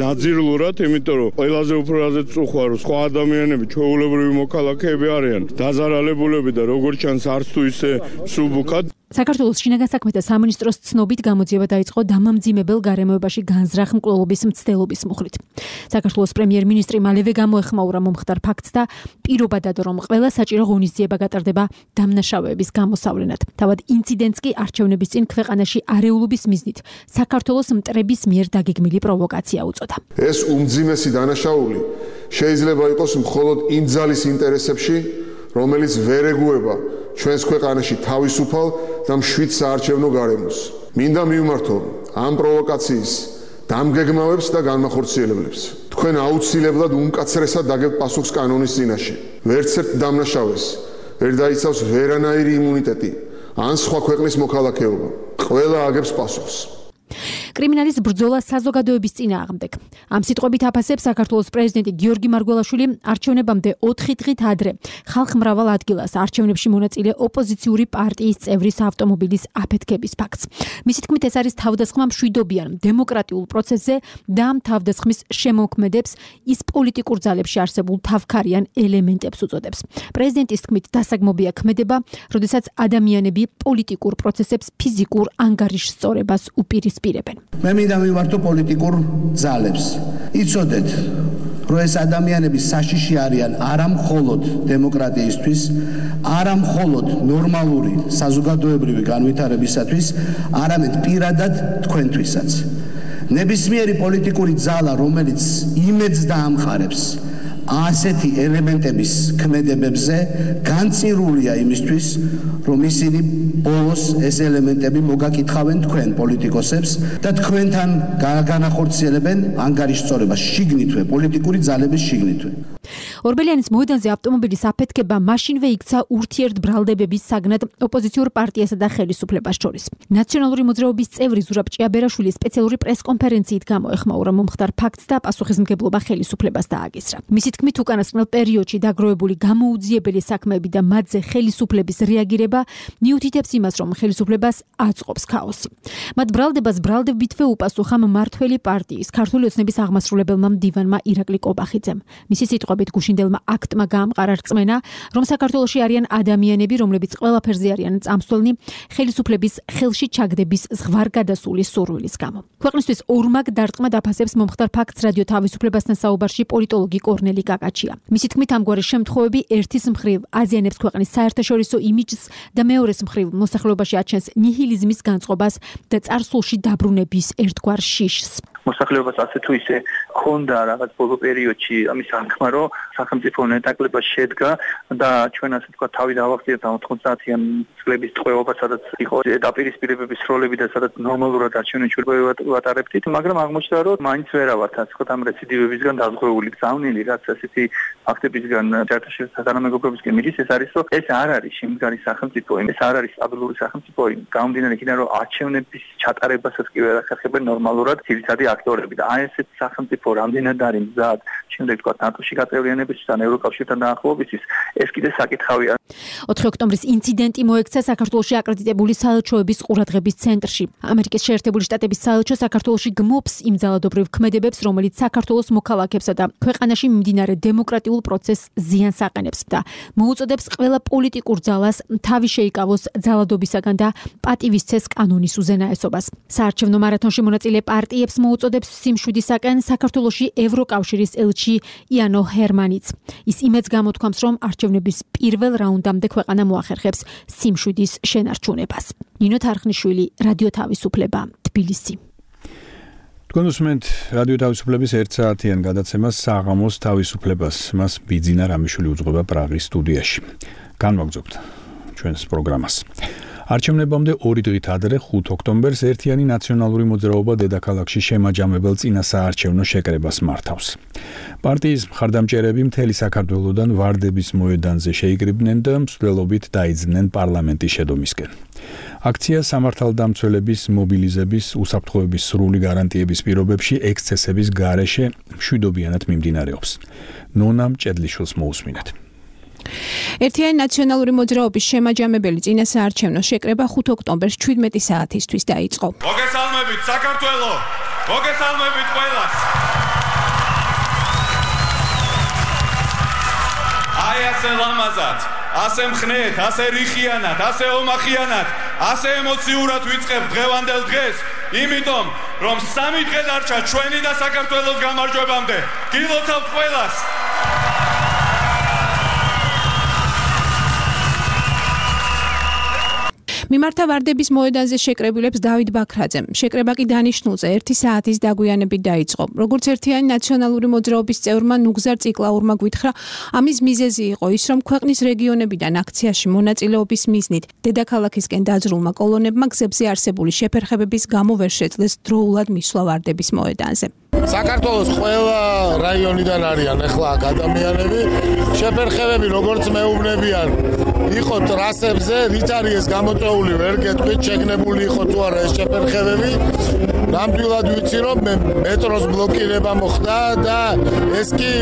დაძირულურად, იმიტომ რომ ყველაზე უფრო რაზეც წუხვა, რომ სხვა ადამიანები, ჩვეულებრივი მოქალაქეები არიან დაზარალებულები და როგორც ჩანს არც თუ ისე სუბუქად. საქართველოს შინაგან საქმეთა სამინისტროს ცნობით გამოძიება დაიწყო დამამძიმებელ გარემოებაში განზრახ მკვლელობის მცდელობის მუხლით. საქართველოს პრემიერ-მინისტრი მალევე გამოეხმაურა მომხდარ ფაქტს და პირობა დადო, რომ ყველა საჭირო ღონისძიება გატარდება დამნაშავეების გამოსავლენად. თავად ინციდენტს კი არჩევნების წინ ქვეყანაში არეულობის მიზნით საქართველოს მტრების მიერ დაგეგმილი პროვოკაცია უწოდა. ეს უმძიმესი დანაშაული შეიძლება იყოს მხოლოდ იმ ძალის ინტერესებში, რომელიც ვერ ეგუება ჩვენს ქვეყანაში თავისუფალ და მშვიდ საარჩევნო გარემოს. მინდა მივმართო ამ პროვოკაციის დამგეგმავებს და განმახორციელებლებს. თქვენ აუცილებლად უმკაცრესად დაგებთ პასუხს კანონის წინაშე. ვერც ერთ დამნაშავეს ვერ დაიცავს ვერანაირი იმუნიტეტი ან სხვა ქვეყნის მოქალაქეობა. ყველა აგებს პასუხს. კრიმინალის ბრძოლა საზოგადოების წინააღმდეგ. ამ სიტყვებით აფასებს საქართველოს პრეზიდენტი გიორგი მარგველაშვილი არჩევნებამდე 4 დღით ადრე ხალხმრავალ ადგილას არჩევნებში მონაწილე ოპოზიციური პარტიის წევრის ავტომობილის აფეთქების ფაქტს. მისი თქმით, ეს არის თავდასხმა მშვიდობიან დემოკრატიულ პროცესზე და ამ თავდასხმის შემოქმედებს ის პოლიტიკურ ძალებში არსებულ თავქარიან ელემენტებს უწოდებს. პრეზიდენტის თქმით, დასაგმობია ქმედება, როდესაც ადამიანები პოლიტიკურ პროცესებს ფიზიკურ ანგარიშსწორებას უპირისპირებენ. მე მინდა მივართო პოლიტიკურ ძალებს. იცოდეთ, რომ ეს ადამიანები საშიში არიან არა მხოლოდ დემოკრატიისთვის, არა მხოლოდ ნორმალური საზოგადოებრივი განვითარებისათვის, არამედ პირადად თქვენთვისაც. ნებისმიერი პოლიტიკური ძალა, რომელიც იმედს დაამყარებს ასეთი ელემენტების ქმედებებზე, განწირულია იმისთვის, რომ ისინი ბოლოს ეს ელემენტები მოგაკითხავენ თქვენ პოლიტიკოსებს და თქვენთან განახორციელებენ ანგარიშსწორებას შიგნითვე, პოლიტიკური ძალების შიგნითვე. ორბელიანის მოედანზე ავტომობილის აფეთქება მაშინვე იქცა ურთიერთბრალდებების საგნად ოპოზიციურ პარტიასა და ხელისუფლებას შორის. ნაციონალური მოძრაობის წევრი ზურაბ ჭიაბერაშვილი სპეციალური პრესკონფერენციით გამოეხმაურა მომხდარ ფაქტს და პასუხისმგებლობა ხელისუფლებას დააგისრა. მისი თქმით, უკანასკნელ პერიოდში დაგროვებული გამოუძიებელი საქმეები და მათზე ხელისუფლების რეაგირება მიუთითებს იმას, რომ ხელისუფლებას აწყობს ქაოსი. მათ ბრალდებას ბრალდებითვე უპასუხა მმართველი პარტიის ქართული ოცნების აღმასრულებელმა მდივანმა ირაკლი კობახიძემ. მისი სიტყვებით, გუშინდელმა აქტმა გაამყარა რწმენა, რომ საქართველოში არიან ადამიანები, რომლებიც ყველაფერზე არიან წამსვლელნი ხელისუფლების ხელში ჩაგდების ზღვარგადასული სურვილის გამო. ქვეყნისთვის ორმაგ დარტყმად აფასებს მომხდარ ფაქტს რადიო თავისუფლებასთან საუბარში პოლიტოლოგი კორნელი გაკაჩია. მისი თქმით, ამგვარი შემთხვევები ერთის მხრივ აზიანებს ქვეყნის საერთაშორისო იმიჯს და მეორეს მხრივ მოსახლეობაში აჩენს ნიჰილიზმის განწყობას და წარსულში დაბრუნების ერთგვარ შიშს. მოსახლეობას ასე თუ ისე ქონდა რაღაც ბოლო პერიოდში ამის აღქმა, რომ სახელმწიფო ნეტაკლება შედგა და ჩვენ ასე თქვა თავი დავახციეთ 90-იან წლების ტყვეობა, სადაც იყო დაპირისპირებების როლები და სადაც ნორმალურად არჩევნებში ვატარებდით, მაგრამ აღმოჩნდა, რომ მაინც ვერა ვართ ასე თქვა ამ რეციდივებისგან დაზღვეული, გზავნილი, რაც ასეთი ფაქტებისგან თანამეგობრობისგან მიდის, ეს არის, რომ ეს არ არის შემდგარი სახელმწიფო, ეს არ არის სტაბილური სახელმწიფო, გამომდინარე იქიდან, რომ არჩევნების ჩატარებასაც კი ვერ ახერხებენ ნორმალურად ძირითადი აქტორები და აი ესეთ სახელმწიფო რამდენად არის მზად შემდეგ თქვა ნატოში გაწევრიანებისთვის ან ევროკავშირთან დაახლოებისთვის, ეს კიდე საკითხავია. 4 ოქტომბრის ინციდენტი მოექცა საქართველოში აკრედიტებული საელჩოების ყურადღების ცენტრში. ამერიკის შეერთებული შტატების საელჩო საქართველოში გმობს იმ ძალადობრივ ქმედებებს, რომელიც საქართველოს მოქალაქეებსა და ქვეყანაში მიმდინარე დემოკრატიულ პროცესს ზიანს აყენებს და მოუწოდებს ყველა პოლიტიკურ ძალას თავი შეიკავოს ძალადობისაგან და პატივისცეს კანონის უზენაესობას. საარჩევნო მარათონში მონაწილე პარტიებს მოუწოდებს სიმშვიდისაკენ საქართველოში ევროკავშირის ელჩი იანო ჰერმანიც. ის იმედს გამოთქვამს, რომ არჩევნების პირველ რაუნდამდე ქვეყანა მოახერხებს სიმშვიდის შენარჩუნებას. ნინო თარხნიშვილი, რადიო თავისუფლება, თბილისი. თქვენ უსმენთ რადიო თავისუფლების 1 საათიან გადაცემას საღამოს თავისუფლებას. მას ბიძინა რამიშვილი უძღვება პრაღის სტუდიაში. განვაგრძობთ ჩვენს პროგრამას. არჩევნებამდე 2 დღით ადრე 5 ოქტომბერს ერთიანი ნაციონალური მოძრაობა დედაქალაქში შემაჯამებელ წინასაარჩევნო შეკრებას მართავს. პარტიის მხარდამჭერები მთელი საქართველოდან ვარდების მოედანზე შეიკრიბნენ და მსვლელობით დაიძნენ პარლამენტის შედომისკენ. აქცია სამართალდამცველების მობილიზების უსაფრთხოების სრული გარანტიების პირობებში ექსცესების გარეშე მშვიდობიანად მიმდინარეობს. ნონა მჭედლიშვილს მოусმინეთ. ერთიანი ნაციონალური მოძრაობის შემაჯამებელი წინასაარჩევნო შეკრება 5 ოქტომბერს 17 საათისთვის დაიწყო. მოგესალმებით საქართველო! მოგესალმებით ყველას! აი ასე ლამაზად, ასე მხნეთ, ასე რიხიანად, ასე ომახიანად, ასე ემოციურად ვიწყებთ დღევანდელ დღეს, იმიტომ რომ 3 დღე დარჩა ჩვენი და საქართველოს გამარჯვებამდე. გილოცავთ ყველას! მიმართა ვარდების მოედანზე შეკრებილებს დავით ბაქრაძემ. შეკრება კი დანიშნულზე 1 საათის დაგვიანებით დაიწყო. როგორც ერთიანი ნაციონალური მოძრაობის წევრმა ნუგზარ ციკლაურმა გვითხრა, ამის მიზეზი იყო ის, რომ ქვეყნის რეგიონებიდან აქციაში მონაწილეობის მიზნით დედაქალაქისკენ დაძრულმა კოლონებმა გზებზე არსებული შეფერხებების გამო ვერ შეძლეს დროულად მისვლა ვარდების მოედანზე. საქართველოს ყველა რაიონიდან არიან ახლა ადამიანები, შეფერხებები როგორც მეუბნებიან, იყო ტრასებზე, რით არის ეს გამოწვეული, ვერ გეტყვით, შეგნებული იყო თუ არა ეს შეფერხებები. ნამდვილად ვიცი, რომ მეტროს ბლოკირება მოხდა და ეს კი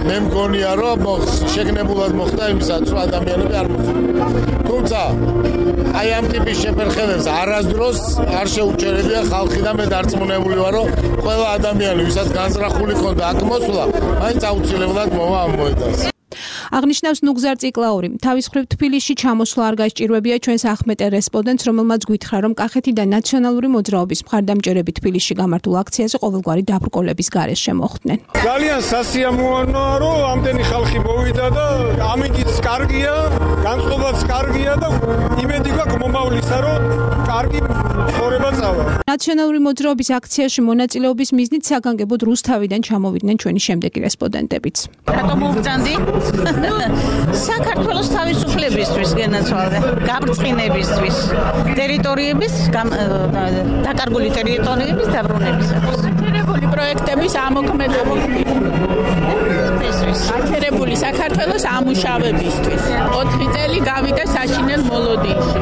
მე მგონია, რომ შეგნებულად მოხდა იმისაც, რომ ადამიანები არ მოსულან. თუმცა აი ამ ტიპის შეფერხებებს არასდროს არ შეუჩერებია ხალხი და მე დარწმუნებული ვარ, რომ ყველა ადამიანი, ვისაც განზრახული ქონდა აქ მოსვლა, მაინც აუცილებლად მოვა ამ მოედანს. აღნიშნავს ნუგზარ ციკლაური. თავის მხრივ თბილისში ჩამოსვლა არ გაიჭირვებია ჩვენს ახმეტე რესპონდენტს, რომელმაც გვითხრა, რომ კახეთიდან ნაციონალური მოძრაობის მხარდამჭერები თბილისში გამართულ აქციაზე ყოველგვარი დაბრკოლების გარეშე შემოხვდნენ. ძალიან სასიამოვნოა, რომ ამდენი ხალხი მოვიდა და ამინდიც კარგია, განწყობაც კარგია და იმედი გვაქვს მომავლისა, რომ კარგი ცხოვრება წავა. ნაციონალური მოძრაობის აქციაში მონაწილეობის მიზნით საგანგებოდ რუსთავიდან ჩამოვიდნენ ჩვენი შემდეგი რესპონდენტებიც. რატომ მოვწანდი? საქართველოს თავისუფლებისთვის გენაცვალე, გაბრწყინებისთვის, ტერიტორიების დაკარგული ტერიტორიების დაბრუნებისათვის. გაჩერებული პროექტების ამოქმედებისთვის. გაჩერებული საქართველოს ამუშავებისთვის. 4 წელი გავიდა საშინელ მოლოდინში.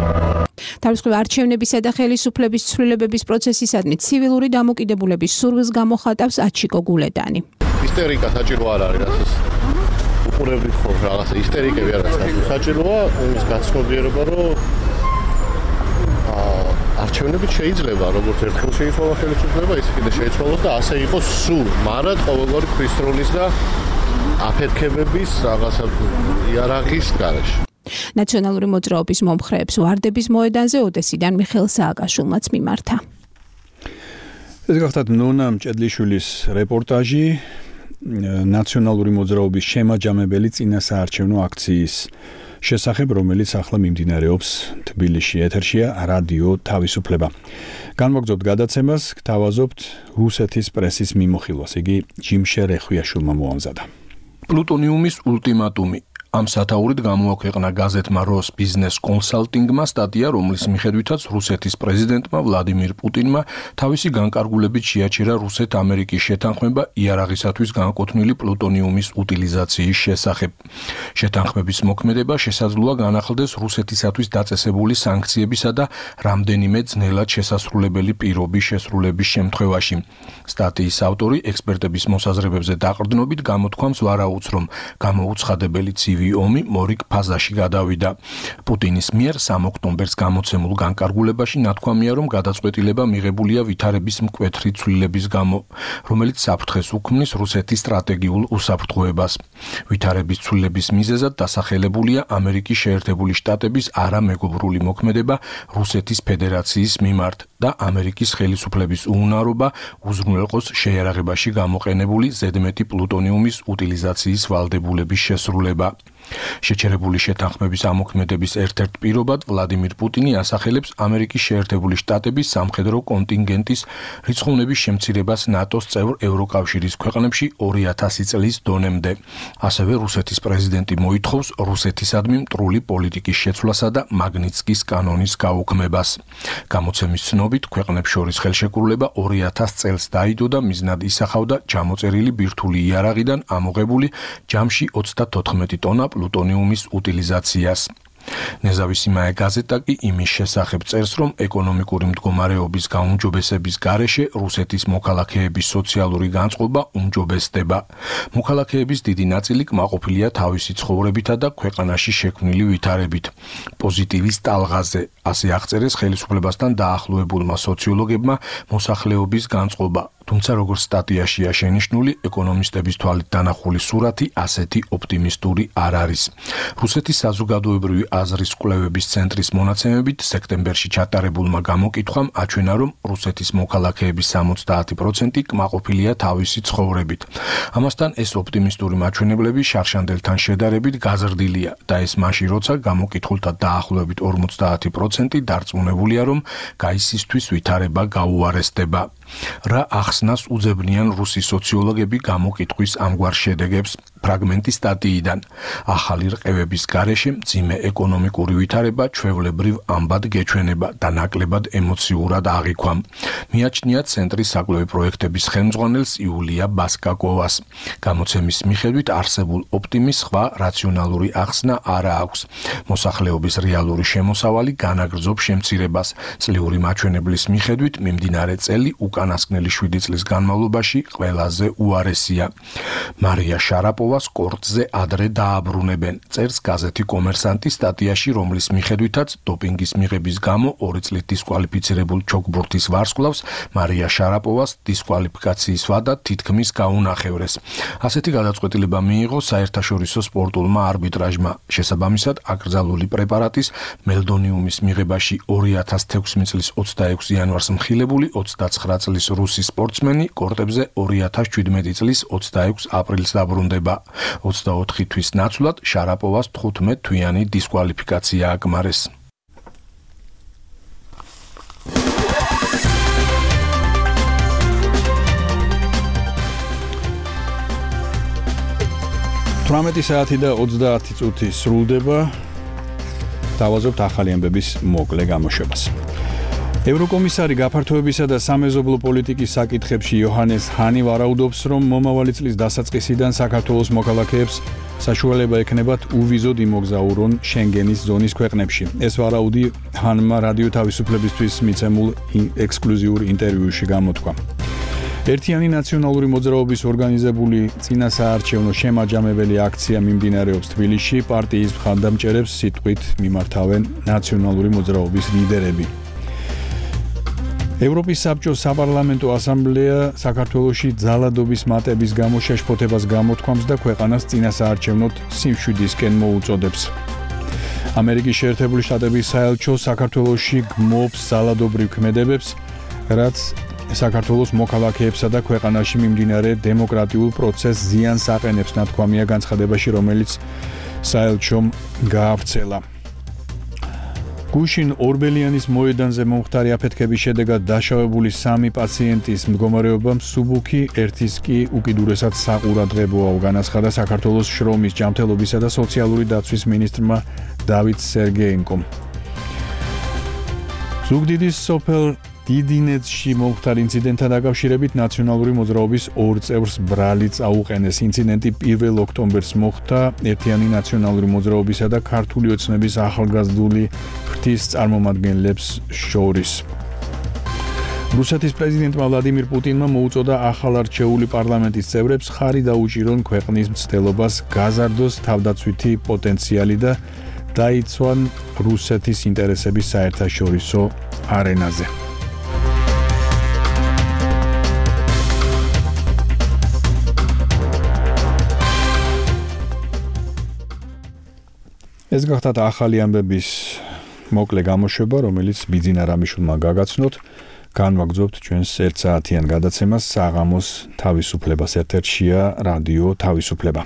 თავისუფლების არჩევნებისა და ხელისუფლების ცვლილებების პროცესისადმი ცივილური დამოკიდებულების სურვილს გამოხატავს აჩიკო გულედანი. ისტერიკა საჭირო არ არის, რასაც უყურებთ ხო რაღაცა ისტერიკები არ არის საჭიროა იმის გაცნობიერება, რომ არჩევნებით შეიძლება როგორც ერთხელ შეიცვალა ხელისუფლება, ისე კიდე შეიცვალოს და ასე იყოს სულ, მაგრამ ყოველგვარი ქრისტროლის და აფეთქებების რაღაცა იარაღის გარეშე. ნაციონალური მოძრაობის მომხრეებს ვარდების მოედანზე ოდესიდან მიხეილ სააკაშვილმაც მიმართა. ეს გახლავთ ნონა მჭედლიშვილის რეპორტაჟი ნაციონალური მოძრაობის შემაჯამებელი წინასაარჩევნო აქციის შესახებ, რომელიც ახლა მიმდინარეობს თბილისში. ეთერშია რადიო თავისუფლება. განმოგზავნებთ გადაცემას, გთავაზობთ რუსეთის პრესის მიმოხილვას. იგი ჯიმშე რეხვიაშვილმა მოამზადა. პლუტონიუმის ულტიმატუმი. ამ სათაურით გამოაქვეყნა გაზეთმა როს ბიზნეს კონსალტინგმა სტატია, რომლის მიხედვითაც რუსეთის პრეზიდენტმა ვლადიმირ პუტინმა თავისი განკარგულებით შეაჩერა რუსეთ-ამერიკის შეთანხმება იარაღისათვის განკუთვნილი პლუტონიუმის უტილიზაციის შესახებ. შეთანხმების მოქმედება შესაძლოა განახლდეს რუსეთისათვის დაწესებული სანქციებისა და რამდენიმე ძნელად შესასრულებელი პირობის შესრულების შემთხვევაში. სტატიის ავტორი ექსპერტების მოსაზრებებზე დაყრდნობით გამოთქვამს ვარაუდს, რომ გამოუცხადებელი ომი მორიგ ფაზაში გადავიდა. პუტინის მიერ 3 ოქტომბერს გამოცემულ განკარგულებაში ნათქვამია, რომ გადაწყვეტილება მიღებულია ვითარების მკვეთრი ცვლილების გამო, რომელიც საფრთხეს უქმნის რუსეთის სტრატეგიულ უსაფრთხოებას. ვითარების ცვლილების მიზეზად დასახელებულია ამერიკის შეერთებული შტატების არამეგობრული მოქმედება რუსეთის ფედერაციის მიმართ და ამერიკის ხელისუფლების უუნარობა უზრუნველყოს შეიარაღებაში გამოყენებული ზედმეტი პლუტონიუმის უტილიზაციის ვალდებულების შესრულება. შეჩერებული შეთანხმების ამოქმედების ერთ-ერთ პირობად ვლადიმირ პუტინი ასახელებს ამერიკის შეერთებული შტატების სამხედრო კონტინგენტის რიცხოვნების შემცირებას ნატოს წევრ ევროკავშირის ქვეყნებში 2000 წლის დონემდე. ასევე რუსეთის პრეზიდენტი მოითხოვს რუსეთისადმი მტრული პოლიტიკის შეცვლასა და მაგნიცკის კანონის გაუქმებას. გამოცემის ცნობით, ქვეყნებს შორის ხელშეკრულება 2000 წელს დაიდო და მიზნად ისახავდა ჩამოწერილი ბირთვული იარაღიდან ამოღებული ჯამში 34 ტონა პლუტონიუმის უტილიზაციას. ნეზავისი მაე გაზეტა კი იმის შესახებ წერს, რომ ეკონომიკური მდგომარეობის გაუმჯობესების გარეშე რუსეთის მოქალაქეების სოციალური განწყობა უმჯობესდება. მოქალაქეების დიდი ნაწილი კმაყოფილია თავისი ცხოვრებითა და ქვეყანაში შექმნილი ვითარებით. პოზიტივის ტალღაზე, ასე აღწერეს ხელისუფლებასთან დაახლოებულმა სოციოლოგებმა მოსახლეობის განწყობა. თუმცა როგორც სტატიაშია შენიშნული, ეკონომისტების თვალით დანახული სურათი ასეთი ოპტიმისტური არ არის. რუსეთის საზოგადოებრივი აზრის კვლევების ცენტრის მონაცემებით, სექტემბერში ჩატარებულმა გამოკითხვამ აჩვენა, რომ რუსეთის მოქალაქეების 70% კმაყოფილია თავისი ცხოვრებით. ამასთან ეს ოპტიმისტური მაჩვენებლები შარშანდელთან შედარებით გაზრდილია და ეს მაშინ, როცა გამოკითხულთა დაახლოებით 50% დარწმუნებულია, რომ გაისისთვის ვითარება გაუარესდება. რა ახსნას უძებნიან რუსი სოციოლოგები გამოკითხვის ამგვარ შედეგებს? ფრაგმენტი სტატიიდან. ახალი რყევების გარეშე მძიმე ეკონომიკური ვითარება ჩვეულებრივ ამბად გეჩვენება და ნაკლებად ემოციურად აღიქვამ. მიაჩნია ცენტრის საკვლევი პროექტების ხელმძღვანელს იულია ბასკაკოვას. გამოცემის მიხედვით არსებულ ოპტიმის სხვა რაციონალური ახსნა არა აქვს. მოსახლეობის რეალური შემოსავალი განაგრძობს შემცირებას. წლიური მაჩვენებლის მიხედვით მიმდინარე წელი უკანასკნელი 7 წლის განმავლობაში ყველაზე უარესია. მარია შარაპოვას კორტზე ადრე დააბრუნებენ. წერს გაზეთი კომერსანტი სტატიაში, რომლის მიხედვითაც დოპინგის მიღების გამო 2 წლით დისკვალიფიცირებულ ჩოგბურთის ვარსკვლავს მარია შარაპოვას დისკვალიფიკაციის ვადა თითქმის გაუნახევრეს. ასეთი გადაწყვეტილება მიიღო საერთაშორისო სპორტულმა არბიტრაჟმა. შესაბამისად, აკრძალული პრეპარატის მელდონიუმის მიღებაში 2016 წლის 26 იანვარს მხილებული 29 წლის რუსი სპორტსმენი კორტებზე 2017 წლის 26 აპრილს დაბრუნდება. 24 თვის ნაცვლად შარაპოვას 15 თვიანი დისკვალიფიკაცია აკმარეს. საათი და 30 წუთი სრულდება. დავაზობთ ახალი ამბების მოკლე გამოშვებას. ევროკომისარი გაფართოებისა და სამეზობლო პოლიტიკის საკითხებში იოჰანეს ჰანი ვარაუდობს, რომ მომავალი წლის დასაწყისიდან საქართველოს მოქალაქეებს საშუალება ექნებათ უვიზოდ იმოგზაურონ შენგენის ზონის ქვეყნებში. ეს ვარაუდი ჰანმა რადიო თავისუფლებისთვის მიცემულ ექსკლუზიურ ინტერვიუში გამოთქვა. ერთიანი ნაციონალური მოძრაობის ორგანიზებული წინასაარჩევნო შემაჯამებელი აქცია მიმდინარეობს თბილისში. პარტიის მხარდამჭერებს სიტყვით მიმართავენ ნაციონალური მოძრაობის ლიდერები. ევროპის საბჭოს საპარლამენტო ასამბლეა საქართველოში ძალადობის მატების გამო შეშფოთებას გამოთქვამს და ქვეყანას წინასაარჩევნოდ სიმშვიდისკენ მოუწოდებს. ამერიკის შეერთებული შტატების საელჩო საქართველოში გმობს ძალადობრივ ქმედებებს, რაც საქართველოს მოქალაქეებსა და ქვეყანაში მიმდინარე დემოკრატიულ პროცესს ზიანს აყენებს, ნათქვამია განცხადებაში, რომელიც საელჩომ გაავრცელა. გუშინ ორბელიანის მოედანზე მომხდარი აფეთქების შედეგად დაშავებული 3 პაციენტის მდგომარეობა მსუბუქი, ერთის კი უკიდურესად საყურადღებოა, განაცხადა საქართველოს შრომის, ჯანმრთელობისა და სოციალური დაცვის მინისტრმა დავით სერგეენკომ. ზუგდიდის სოფელ დიდინეთში მომხდარ ინციდენტთან დაკავშირებით ნაციონალური მოძრაობის 2 წევრს ბრალი წაუყენეს. ინციდენტი 1 ოქტომბერს მოხდა ერთიანი ნაციონალური მოძრაობისა და ქართული ოცნების ახალგაზრდული ფრთის წარმომადგენლებს შორის. რუსეთის პრეზიდენტმა ვლადიმირ პუტინმა მოუწოდა ახალარჩეული პარლამენტის წევრებს ხარი დაუჭირონ ქვეყნის მცდელობას, გაზარდოს თავდაცვითი პოტენციალი და დაიცვან რუსეთის ინტერესების საერთაშორისო არენაზე. ეს გახდათ ახალი ამბების მოკლე გამოშვება, რომელიც ბიძინა რამიშვილმა გაგაცნოთ. განვაგრძობთ ჩვენს 1 საათიან გადაცემას საღამოს თავისუფლებას ერთ-ერთშია რადიო თავისუფლება.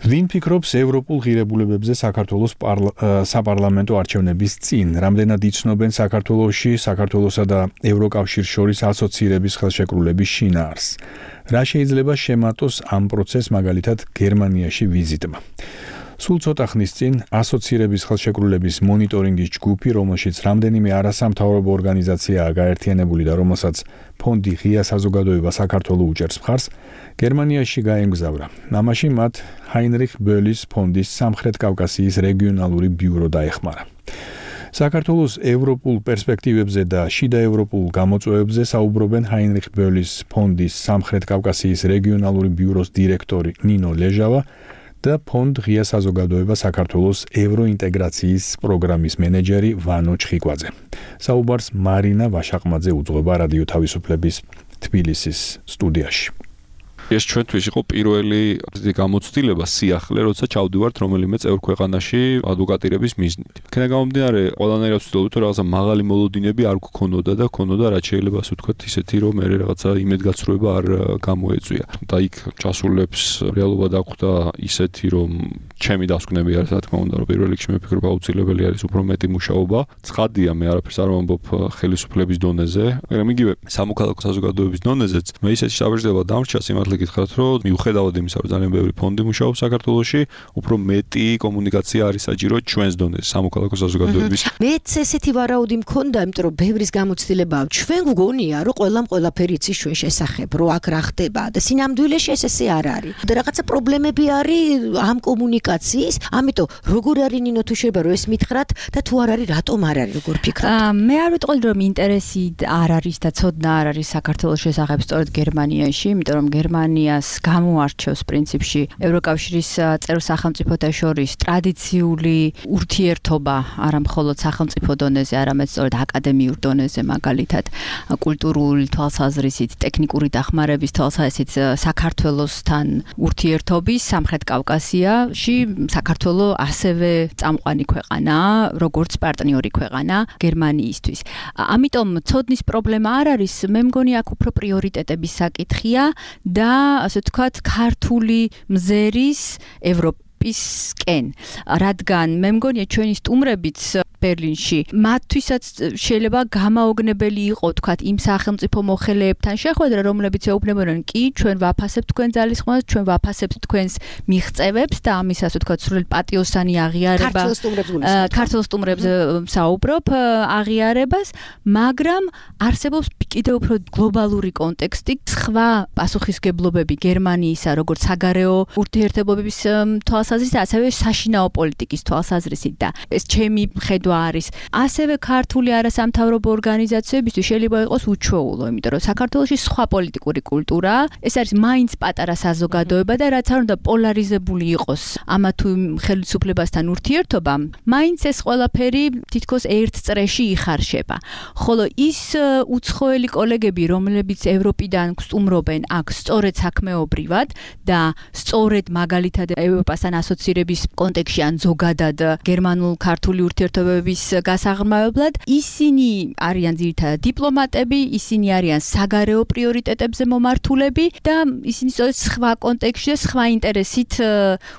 ვინ ფიქრობს ევროპულ ღირებულებებზე საქართველოს საპარლამენტო არჩევნების წინ? რამდენად იცნობენ საქართველოში საქართველოსა და ევროკავშირს შორის ასოცირების ხელშეკრულების შინაარს? რა შეიძლება შემატოს ამ პროცესს მაგალითად გერმანიაში ვიზიტმა? სულ ცოტა ხნის წინ ასოცირების ხელშეკრულების მონიტორინგის ჯგუფი, რომელშიც რამდენიმე არასამთავრობო ორგანიზაციაა გაერთიანებული და რომელსაც ფონდი ღია საზოგადოება საქართველოს უჭერს მხარს, გერმანიაში გაემგზავრა. ამაში მათ ჰაინრიხ ბოლის ფონდის სამხრეთ კავკასიის რეგიონალური ბიურო დაეხმარა. საქართველოს ევროპულ პერსპექტივებზე და შიდა ევროპულ გამოწვევებზე საუბრობენ ჰაინრიხ ბოლის ფონდის სამხრეთ კავკასიის რეგიონალური ბიუროს დირექტორი ნინო ლეჟავა და ფონდ ღია საზოგადოება საქართველოს ევროინტეგრაციის პროგრამის მენეჯერი ვანო ჩხიკვაძე. საუბარს მარინა ვაშაყმაძე უძღვება რადიო თავისუფლების თბილისის სტუდიაში. ეს ჩვენთვის იყო პირველი გამოცდილება სიახლე, როცა ჩავდივართ რომელიმე წევრ ქვეყანაში ადვოკატირების მიზნით. იქნება გამომდინარე, ყველანაირად ვცდილობთ, რომ რაღაცა მაღალი მოლოდინები არ გქონოდა და ქონოდა რაც შეიძლება ასე ვთქვათ, ისეთი რომ მე რაღაცა იმედგაცრუება არ გამოეწვია. და იქ ჩასულებს რეალობა დახვდა ისეთი, რომ ჩემი დასკვნები არის, რა თქმა უნდა, რომ პირველ რიგში მე ვფიქრობ, აუცილებელი არის უფრო მეტი მუშაობა. ცხადია, მე არაფერს არ ვამბობ ხელისუფლების დონეზე, მაგრამ იგივე სამოქალაქო საზოგადოების დონეზეც მე ისეთი შთაბეჭდილება დამრჩა სიმართლე გითხრათ, რომ მიუხედავად იმისა, რომ ძალიან ბევრი ფონდი მუშაობს საქართველოში, უფრო მეტი კომუნიკაცია არის საჭირო ჩვენს დონეზე, სამოქალაქო საზოგადოების. მეც ესეთი ვარაუდი მქონდა, იმიტომ რომ ბევრის გამოცდილებაა. ჩვენ გვგონია, რომ ყველაფერი იცის ჩვენ შესახებ, რომ აქ რა ხდება და სინამდვილეში ესე არ არის. და რაღაცა პრობლემები არის ამ კომუნიკაციის, ამიტომ როგორ არის ნინო თუ შეიძლება რომ ეს მითხრათ და თუ არ არის, რატომ არ არის, როგორ ფიქრობთ? მე არ ვიტყოდი რომ ინტერესი არ არის და ცოდნა არ არის საქართველოს შესახებ სწორედ გერმანიაში, იმიტომ რომ გერმანიას გამოარჩევს პრინციპში ევროკავშირის წევრ სახელმწიფოთა შორის ტრადიციული ურთიერთობა, არა მხოლოდ სახელმწიფო დონეზე, არამედ სწორედ აკადემიურ დონეზე, მაგალითად კულტურული თვალსაზრისით, ტექნიკური დახმარების თვალსაზრისით საქართველოსთან ურთიერთობის სამხრეთ კავკასიაში საქართველო ასევე წამყვანი ქვეყანაა, როგორც პარტნიორი ქვეყანა გერმანიისთვის. ამიტომ ცოდნის პრობლემა არ არის, მე მგონი აქ უფრო პრიორიტეტების საკითხია და ასე ვთქვათ, ქართული მზერის ევროპისკენ, რადგან მე მგონია ჩვენი სტუმრებიც ბერლინში მათთვისაც შეიძლება გამაოგნებელი იყო თქვათ იმ სახელმწიფო მოხელეებთან შეხვედრა, რომლებიც ეუბნებოდნენ, კი, ჩვენ ვაფასებთ თქვენ ძალისხმევას, ჩვენ ვაფასებთ თქვენს მიღწევებს და ამის ასე ვთქვათ, სრულად პატიოსანი აღიარება ქართულ სტუმრებს საუბრობ აღიარებას, მაგრამ არსებობს კიდევ უფრო გლობალური კონტექსტი, სხვა პასუხისგებლობები გერმანიისა, როგორც საგარეო ურთიერთობების თვალსაზრისით, ასევე საშინაო პოლიტიკის თვალსაზრისით და ეს ჩემი ხედვა არის. ასევე ქართული არასამთავრობო ორგანიზაციებისთვის შეიძლება იყოს უჩვეულო, იმიტომ რომ საქართველოში სხვა პოლიტიკური კულტურაა, ეს არის მაინც პატარა საზოგადოება და რაც არ უნდა პოლარიზებული იყოს ამა თუ იმ ხელისუფლებასთან ურთიერთობა, მაინც ეს ყველაფერი თითქოს ერთ წრეში იხარშება. ხოლო ის უცხოელი კოლეგები, რომლებიც ევროპიდან სტუმრობენ აქ სწორედ საქმეობრივად და სწორედ მაგალითად ევროპასთან ასოცირების კონტექსტში ან ზოგადად გერმანულ-ქართული ურთიერთობების გასაღრმავებლად, ისინი არიან ძირითადად დიპლომატები, ისინი არიან საგარეო პრიორიტეტებზე მომართულები და ისინი სწორედ სხვა კონტექსტში, სხვა ინტერესით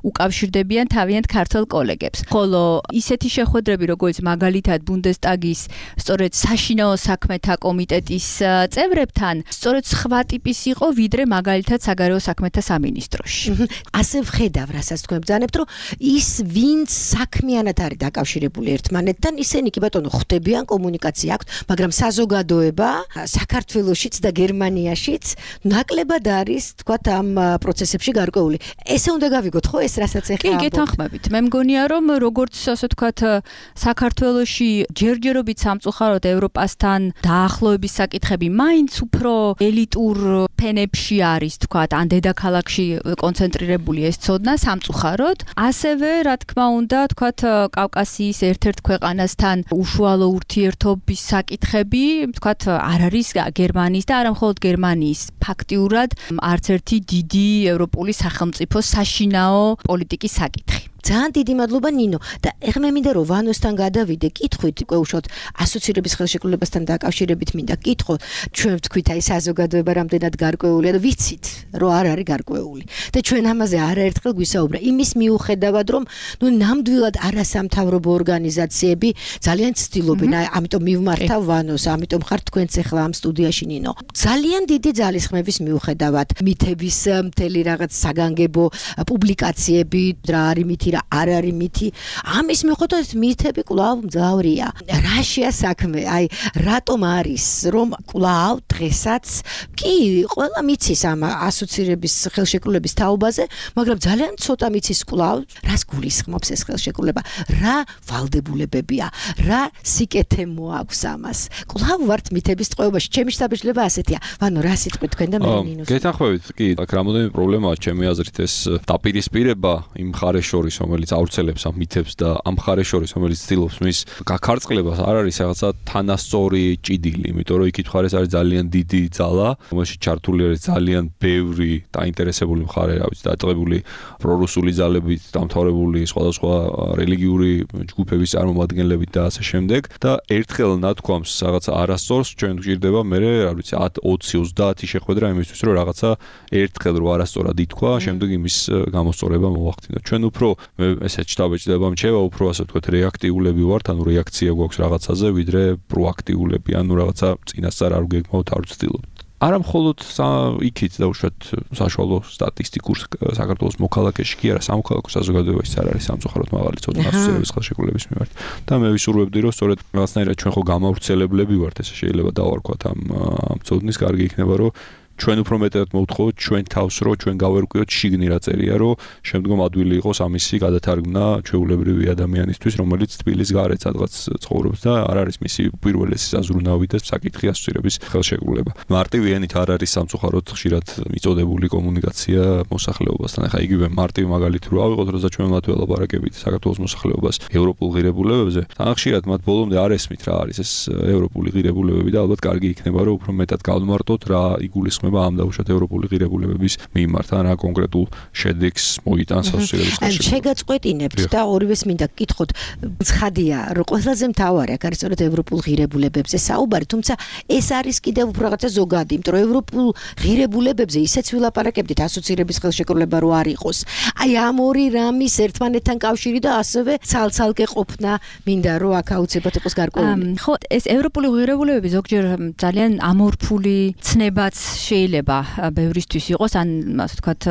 უკავშირდებიან თავიანთ ქართულ კოლეგებს. ხოლო ისეთი შეხვედრები, როგორც მაგალითად ბუნდესტაგის სწორედ საშინაო საქმეთა კომიტეტის წევრებთან, სწორედ სხვა ტიპის იყო, ვიდრე მაგალითად საგარეო საქმეთა სამინისტროში. ასე ვხედავ, რასაც თქვენ ბრძანებთ, რომ ის ვინც საქმიანად არის დაკავშირებული ერთმანეთთან, ისინი კი ბატონო ხვდებიან, კომუნიკაცია აქვთ, მაგრამ საზოგადოება საქართველოშიც და გერმანიაშიც ნაკლებად არის, თქვათ, ამ პროცესებში გარკვეული. ესე უნდა გავიგოთ, ხო, ეს რასაც ეხლა კი, გეთანხმებით. მე მგონია, რომ როგორც ასე ვთქვათ, საქართველოში ჯერჯერობით სამწუხაროდ ევროპასთან დაახლოების საკითხები მაინც უფრო ელიტურ ფენებში არის, თქვათ, ან დედაქალაქში კონცენტრირებული ეს ცოდნა სამწუხაროდ. ასევე, რა თქმა უნდა, თქვათ, კავკასიის ერთ-ერთ ქვეყანასთან უშუალო ურთიერთობის საკითხები, თქვათ, არ არის გერმანიის და არა მხოლოდ გერმანიის ფაქტიურად არც ერთი დიდი ევროპული სახელმწიფოს საშინაო პოლიტიკის საკითხი. ძალიან დიდი მადლობა ნინო და ეხლა მე მინდა რომ ვანოსთან გადავიდე კითხვით უკვე უშოთ ასოცირების ხელშეკრულებასთან დაკავშირებით მინდა კითხო ჩვენ ვთქვით აი საზოგადოება რამდენად გარკვეულია და ვიცით რომ არ არის გარკვეული და ჩვენ ამაზე არაერთხელ გვისაუბრა იმის მიუხედავად რომ ნუ ნამდვილად არასამთავრობო ორგანიზაციები ძალიან ცდილობენ ამიტომ მივმართავ ვანოს ამიტომ ხარ თქვენც ეხლა ამ სტუდიაში ნინო ძალიან დიდი ძალისხმევის მიუხედავად მითების მთელი რაღაც საგანგებო პუბლიკაციები რა არის მითი რა არ არის მითი ამის მიუხედავად მითები კვლავ მძავრია რაშია საქმე აი რატომ არის რომ კვლავ დღესაც კი ყველა მიცის ამ ასოცირების ხელშეკრულების თაობაზე მაგრამ ძალიან ცოტა მიცის კვლავ რას გულისხმობს ეს ხელშეკრულება რა ვალდებულებებია რა სიკეთე მოაქვს ამას კვლავ ვართ მითების ტყვეობაში ჩემი შთაბეჭდილება ასეთია ვანო რა სიტყვით თქვენ და მე ნინოს გეთანხმებით კი აქ რამოდენიმე პრობლემაა ჩემი აზრით ეს დაპირისპირება იმ მხარეს შორის რომელიც ავრცელებს ამ მითებს და ამ მხარეს შორის რომელიც ცდილობს მის გაქარწყლებას არ არის რაღაცა თანასწორი ჭიდილი იმიტომ რომ იქით მხარეს არის ძალიან დიდი ძალა რომელშიც ჩართული არის ძალიან ბევრი დაინტერესებული მხარე რა ვიცი დაწყებული პრორუსული ძალებით დამთავრებული სხვადასხვა რელიგიური ჯგუფების წარმომადგენლებით და ასე შემდეგ და ერთხელ ნათქვამს რაღაცა არასწორს ჩვენ გვჭირდება მე რა ვიცი 10 20 30 შეხვედრა იმისთვის რომ რაღაცა ერთხელ რო არასწორად ითქვა შემდეგ იმის გამოსწორება მოახდინოთ ჩვენ უფრო მე ესეც შტაბეჭდება მჩევა უფრო ასე ვთქვათ რეაქტიულები ვართ ანუ რეაქცია გვაქვს რაღაცაზე ვიდრე პროაქტიულები ანუ რაღაცა წინასწარ არ გეგმავთ არ ვცდილობთ არა მხოლოდ იქით დაუშვათ საშუალო სტატისტიკურ საქართველოს მოქალაქეში კი არა, სამოქალაქო საზოგადოებაში არ არის სამწუხაროდ მაღალი წოდება ასოცირების ხელშეკრულების მიმართ. და მე ვისურვებდი, რომ სწორედ რაღაცნაირად ჩვენ ხო გამავრცელებლები ვართ, ესე შეიძლება დავარქვათ ამ წოდნის, კარგი იქნება, რომ ჩვენ უფრო მეტად მოვთხოვოთ ჩვენ თავს, რომ ჩვენ გავერკვიოთ შიგნი რა წერია, რომ შემდგომ ადვილი იყოს ამისი გადათარგმნა ჩვეულებრივი ადამიანისთვის, რომელიც თბილის გარეთ სადღაც ცხოვრობს და არ არის მისი პირველი საზრუნავი და საკითხი ასოცირების ხელშეკრულება. მარტივი ენით არ არის სამწუხაროდ ხშირად მიწოდებული კომუნიკაცია მოსახლეობასთან. ახლა იგივე მარტივი მაგალითი რო ავიღოთ, როცა ჩვენ მათ ველაპარაკებით საქართველოს მოსახლეობას ევროპულ ღირებულებებზე, თან ხშირად მათ ბოლომდე არ ესმით რა არის ეს ევროპული ღირებულებები და ალბათ კარგი იქნება, რომ უფრო მეტად გავმარტოთ რა იგულისხმება ამ დაუშვათ ევროპული ღირებულებების მიმართ, რა კონკრეტულ შედეგს მოიტანს ასოცირების ხელშეკრულება. შეგაწყვეტინებთ და ორივეს მინდა გკითხოთ, ცხადია, რომ ყველაზე მთავარი აქ არის სწორედ ევროპულ ღირებულებებზე საუბარი, თუმცა ეს არის კიდევ უფრო რაღაცა ზოგადი, იმიტომ რომ ევროპულ ღირებულებებზე ისეც ვილაპარაკებდით ასოცირების ხელშეკრულება რო არ იყოს. აი ამ ორი რამის ერთმანეთთან კავშირი და ასევე ცალ-ცალკე ყოფნა მინდა რომ აქ აუცილებლად იყოს გარკვეული. ხო, ეს ევროპული ღირებულებები ზოგჯერ ძალიან ამორფული ცნებაც შეიძლება ბევრისთვის იყოს, ან ასე ვთქვათ,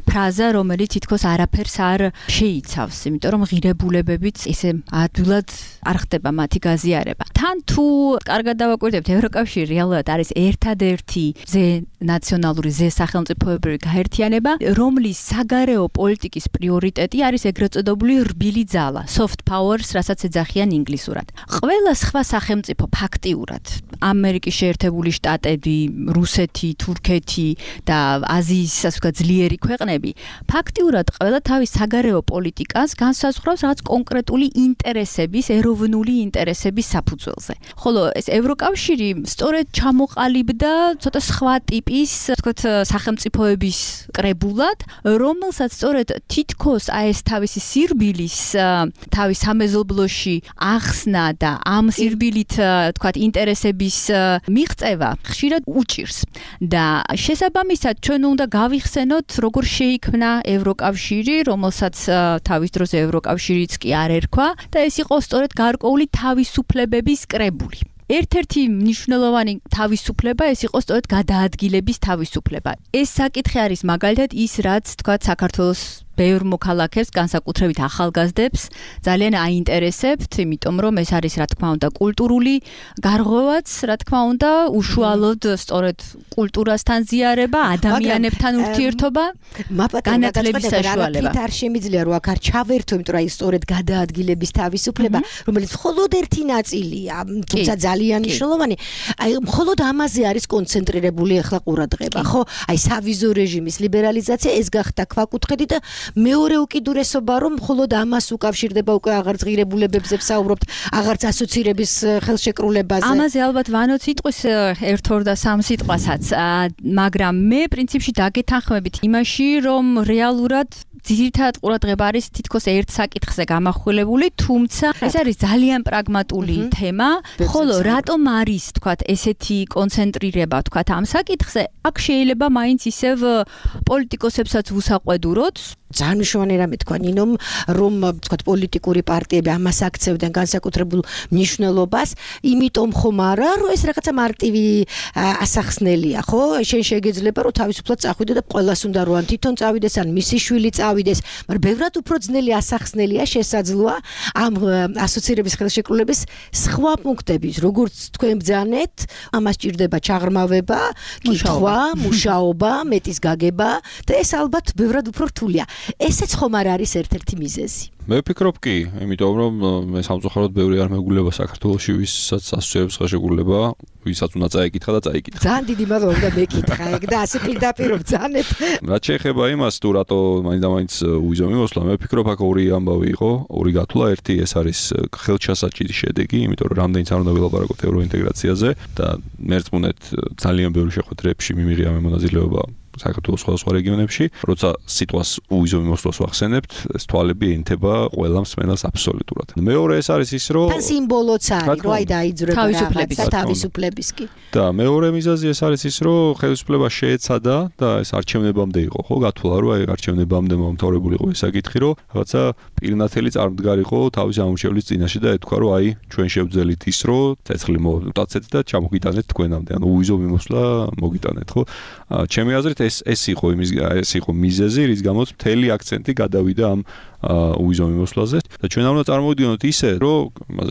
ფრაზა, რომელიც თითქოს არაფერს არ შეიცავს, იმიტომ რომ ღირებულებებიც ესე ადვილად არ ხდება მათი გაზიარება. თან თუ კარგად დავაკვირდებთ, ევროკავშირი რეალურად არის ერთადერთი ნაციონალური სახელმწიფოებრივი გაერთიანება, რომლის საგარეო პოლიტიკის პრიორიტეტი არის ეგრეთ წოდებული რბილი ძალა, soft powers, რასაც ეძახიან ინგლისურად. ყველა სხვა სახელმწიფო ფაქტიურად, ამერიკის შეერთებული შტატები, რუსეთი, თურქეთი და აზიის ასე ვთქვათ ძლიერი ქვეყნები, ფაქტიურად ყველა თავის საგარეო პოლიტიკას განსაზღვრავს რაღაც კონკრეტული ინტერესების, ეროვნული ინტერესების საფუძველზე. ხოლო ეს ევროკავშირი სწორედ ჩამოყალიბდა ცოტა სხვა ტიპის, ვთქვათ, სახელმწიფოების კრებულად, რომელსაც სწორედ თითქოს აი ეს თავისი სირბილის თავის სამეზობლოში ახსნა და ამ სირბილით, ვთქვათ, ინტერესების მიღწევა ხშირად უჭირს. და შესაბამისად ჩვენ უნდა გავიხსენოთ, როგორ შეიქმნა ევროკავშირი, რომელსაც თავის დროზე ევროკავშირიც კი არ ერქვა და ეს იყო სწორედ გარკვეული თავისუფლებების კრებული. ერთ-ერთი მნიშვნელოვანი თავისუფლება ეს იყო სწორედ გადაადგილების თავისუფლება. ეს საკითხი არის მაგალითად ის, რაც თქვათ საქართველოს ბევრ მოქალაქეს, განსაკუთრებით ახალგაზრდებს, ძალიან აინტერესებთ, იმიტომ რომ ეს არის, რა თქმა უნდა, კულტურული გარღვევაც, რა თქმა უნდა, უშუალოდ სწორედ კულტურასთან ზიარება, ადამიანებთან ურთიერთობა, განათლების საშუალება. არ შემიძლია რომ აქ არ ჩავერთო, იმიტომ რომ აი სწორედ გადაადგილების თავისუფლება, რომელიც მხოლოდ ერთი ნაწილია, თუმცა ძალიან მნიშვნელოვანი, აი მხოლოდ ამაზე არის კონცენტრირებული ახლა ყურადღება, ხო? აი სავიზო რეჟიმის ლიბერალიზაცია ეს გახდა ქვაკუთხედი და მეორე უკიდურესობა რომ მხოლოდ ამას უკავშირდება უკვე აღარც ღირებულებებზე ვსაუბრობთ, აღარც ასოცირების ხელშეკრულებაზე. ამაზე ალბათ ვანოც იტყვის 1-2 და 3 სიტყვასაც, მაგრამ მე პრინციპში დაგეთანხმებით იმაში, რომ რეალურად ძირითადად ყურადღება არის თითქოს ერთ საკითხზე გამახვილებული, თუმცა ეს არის ძალიან პრაგმატული თემა, ხოლო რატომ არის, თქვათ, ესეთი კონცენტრირება, თქვათ, ამ საკითხზე, აქ შეიძლება მაინც ისევ პოლიტიკოსებსაც უსაყვედუროთ. ძალიან მნიშვნელოვანი რამე თქვა ნინომ, რომ თქვათ პოლიტიკური პარტიები ამას აქცევდნენ განსაკუთრებულ მნიშვნელობას, იმიტომ ხომ არა, რომ ეს რაღაცა მარტივი ასახსნელია, ხო? შენ შეგეძლება რომ თავისუფლად წახვიდე და ყველას უნდა რომ თვითონ წავიდეს, ან მისი შვილი წავიდეს, მაგრამ ბევრად უფრო ძნელი ასახსნელია შესაძლოა ამ ასოცირების ხელშეკრულების სხვა პუნქტების, როგორც თქვენ ბძანეთ, ამას ჭირდება ჩაღრმავება, კითხვა, მუშაობა, მეტის გაგება და ეს ალბათ ბევრად უფრო რთულია. ესეც ხომ არ არის ერთ-ერთი მიზეზი. მე ვფიქრობ კი, იმიტომ რომ მე სამწუხაროდ ბევრი არ მეგულება საქართველოში, ვისაც ასოცირების ხელშეკრულება, ვისაც უნდა წაიკითხა და წაიკითხა. ძალიან დიდი მადლობა და მეკითხა ეგ და ასე პირდაპირ ვძანეთ. რაც შეეხება იმას, თუ რატო მაინც უვიზო მიმოსვლა, მე ვფიქრობ აქ ორი ამბავი იყო, ორი გათვლა, ერთი ეს არის ხელჩასაჭირი შედეგი, იმიტომ რომ რამდენიც არ უნდა ვილაპარაკოთ ევროინტეგრაციაზე და მერწმუნეთ ძალიან ბევრი შეხვედრებში მიმიღია მე მონაწილეობა საქართველოს სხვადასხვა რეგიონებში, როცა სიტყვას უვიზო მიმოსვლას ვახსენებთ, ეს თვალები ენთება ყველა მსმენელს აბსოლუტურად. მეორე ეს არის ის, რომ თან სიმბოლოც არის, რომ აი დაიძრება თავისუფლების კი. და მეორე მიზეზი ეს არის ის, რომ ხელისუფლება შეეცადა და ეს არჩევნებამდე იყო, ხო, გათვლა, რომ აი არჩევნებამდე მომთავრებული იყო ეს საკითხი, რომ რაღაცა პირნათელი წარმდგარიყო თავის ამორჩევლის წინაშე და ეთქვა, რომ აი ჩვენ შევძელით ის, რომ ცეცხლი მოვდაცეთ და ჩამოგიტანეთ თქვენამდე, ანუ უვიზო მიმოსვლა მოგიტანეთ, ხო? ჩემი აზრით ეს იყო მიზეზი, რის გამოც მთელი აქცენტი გადავიდა ამ უვიზო მიმოსვლაზე და ჩვენ უნდა წარმოვიდგინოთ ისე, რომ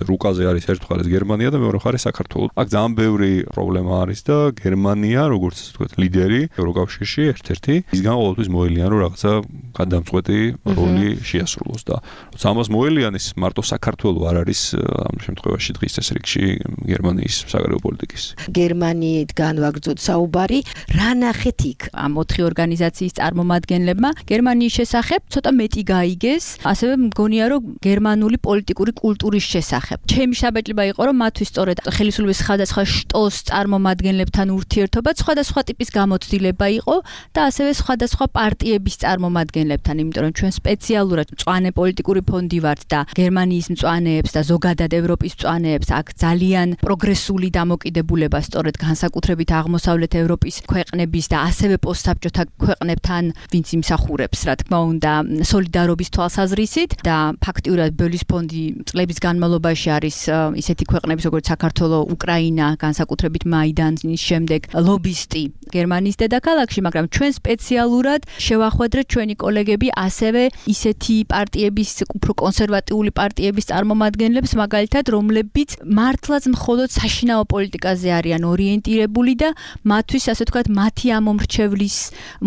რუკაზე არის ერთ მხარეს გერმანია და მეორე მხარეს საქართველო. აქ ძალიან ბევრი პრობლემა არის და გერმანია, როგორც ასე ვთქვათ, ლიდერი ევროკავშირში ერთ-ერთი, ისგან ყოველთვის მოელიან, რომ რაღაცა გადამწყვეტი როლი შეასრულოს და როცა ამას მოელიანის, მარტო საქართველო არ არის ამ შემთხვევაში დღის ეს რიგში გერმანიის საგარეო პოლიტიკის. გერმანიიდან ვაგრძოთ საუბარი, რა ნახეთ იქ? ამ 4 ორგანიზაციის წარმომადგენლებმა გერმანიის შესახებ ცოტა მეტი გაიგეს. ასევე მგონია რომ გერმანული პოლიტიკური კულტურის შესახებ. ჩემი შაბეჭდება იყო რომ მათთვის სწორედ ხელისუფლების სხვადასხვა შტოს წარმომადგენლებთან ურთიერთობა სხვადასხვა ტიპის გამოცდილება იყო და ასევე სხვადასხვა პარტიების წარმომადგენლებთან, იმიტომ რომ ჩვენ სპეციალურად მწვანე პოლიტიკური ფონდი ვართ და გერმანიის მწვანეებს და ზოგადად ევროპის მწვანეებს აქ ძალიან პროგრესული დამოკიდებულება სწორედ განსაკუთრებით აღმოსავლეთ ევროპის ქვეყნების და ასევე პოსტსაბჭოთა ქვეყნებთან ვინც იმსახურებს, რა თქმა უნდა, სოლიდარობის თვალსაზრისით და ფაქტიურად ბელის ფონდი წლების განმავლობაში არის ისეთი ქვეყნების როგორც საქართველო, უკრაინა, განსაკუთრებით მაიდანის შემდეგ ლობისტი გერმანიის დედაქალაქში, მაგრამ ჩვენ სპეციალურად შევახვედრეთ ჩვენი კოლეგები ასევე ისეთი პარტიების, უფრო კონსერვატიული პარტიების წარმომადგენლებს, მაგალითად, რომლებიც მართლაც მხოლოდ საშინაო პოლიტიკაზე არიან ორიენტირებული და მათთვის, ასე ვთქვათ, მათი ამომრჩევლის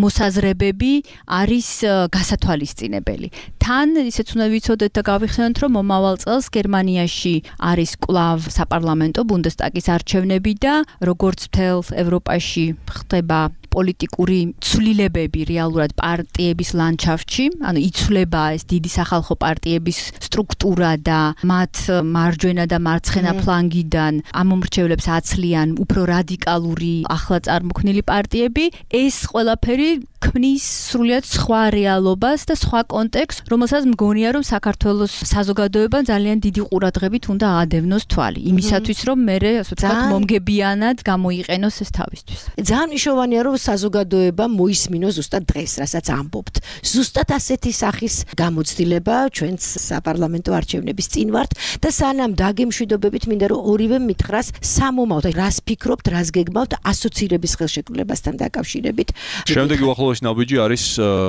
მოსაზრებები არის გასათვალისწინებელი. თან ისეც უნდა ვიცოდეთ და გავიხსენოთ, რომ მომავალ წელს გერმანიაში არის კვლავ საპარლამენტო ბუნდესტაგის არჩევნები და როგორც მთელ ევროპაში ხდება პოლიტიკური ცვლილებები რეალურად პარტიების ლანდშაფტში, ანუ იცვლება ეს დიდი სახალხო პარტიების სტრუქტურა და მათ მარჯვენა და მარცხენა ფლანგიდან ამომრჩევლებს აცლიან უფრო რადიკალური ახლა წარმოქმნილი პარტიები, ეს ყველაფერი ქმნის სრულიად სხვა რეალობას და სხვა კონტექსტს, რომელსაც მგონია, რომ საქართველოს საზოგადოებამ ძალიან დიდი ყურადღებით უნდა აადევნოს თვალი, იმისათვის, რომ მერე, ასე ვთქვათ, მომგებიანად გამოიყენოს ეს თავისთვის. ძალიან მნიშვნელოვანია, რომ საზოგადოება მოისმინოს ზუსტად დღეს, რასაც ამბობთ. ზუსტად ასეთი სახის გამოცდილება ჩვენც საპარლამენტო არჩევნების წინ ვართ და სანამ დაგემშვიდობებით მინდა რომ ორივე მითხრას სამომავლოდ, რას ფიქრობთ, რას გეგმავთ ასოცირების ხელშეკრულებასთან დაკავშირებით. შემდეგი უახლოესი ნაბიჯი არის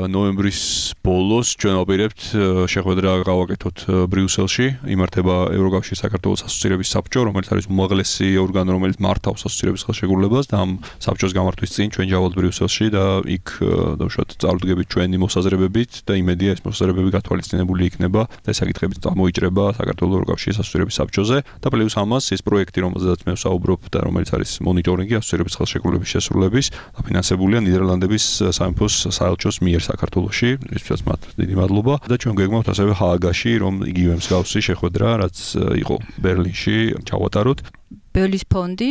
ნოემბრის ბოლოს, ჩვენ ვაპირებთ შეხვედრა გავაკეთოთ ბრიუსელში, იმართება ევროკავშირის საქართველოს ასოცირების საბჭო, რომელიც არის უმაღლესი ორგანო, რომელიც მართავს ასოცირების ხელშეკრულებას და ამ საბჭოს გამართვის წინ ჩვენ ჯავალთ ბრიუსელში და იქ დავუშვათ წარუდგებით ჩვენი მოსაზრებებით და იმედია ეს მოსაზრებები გათვალისწინებული იქნება და ეს საკითხები წამოიჭრება საქართველოს ევროკავშირის ასოცირების საბჭოზე და პლუს ამას ეს პროექტი, რომელზედაც მე ვსაუბრობ და რომელიც არის მონიტორინგი ასოცირების ხელშეკრულების შესრულების, დაფინანსებულია ნიდერლანდების სამეფოს საელჩოს მიერ საქართველოში, ისწრაფად მათ დიდი მადლობა და ჩვენ გეგმავთ ასევე ჰააგაში, რომ იგივე მსგავსი შეხვედრა, რაც იყო ბერლინში, ჩავატაროთ. ბელის ფონდი,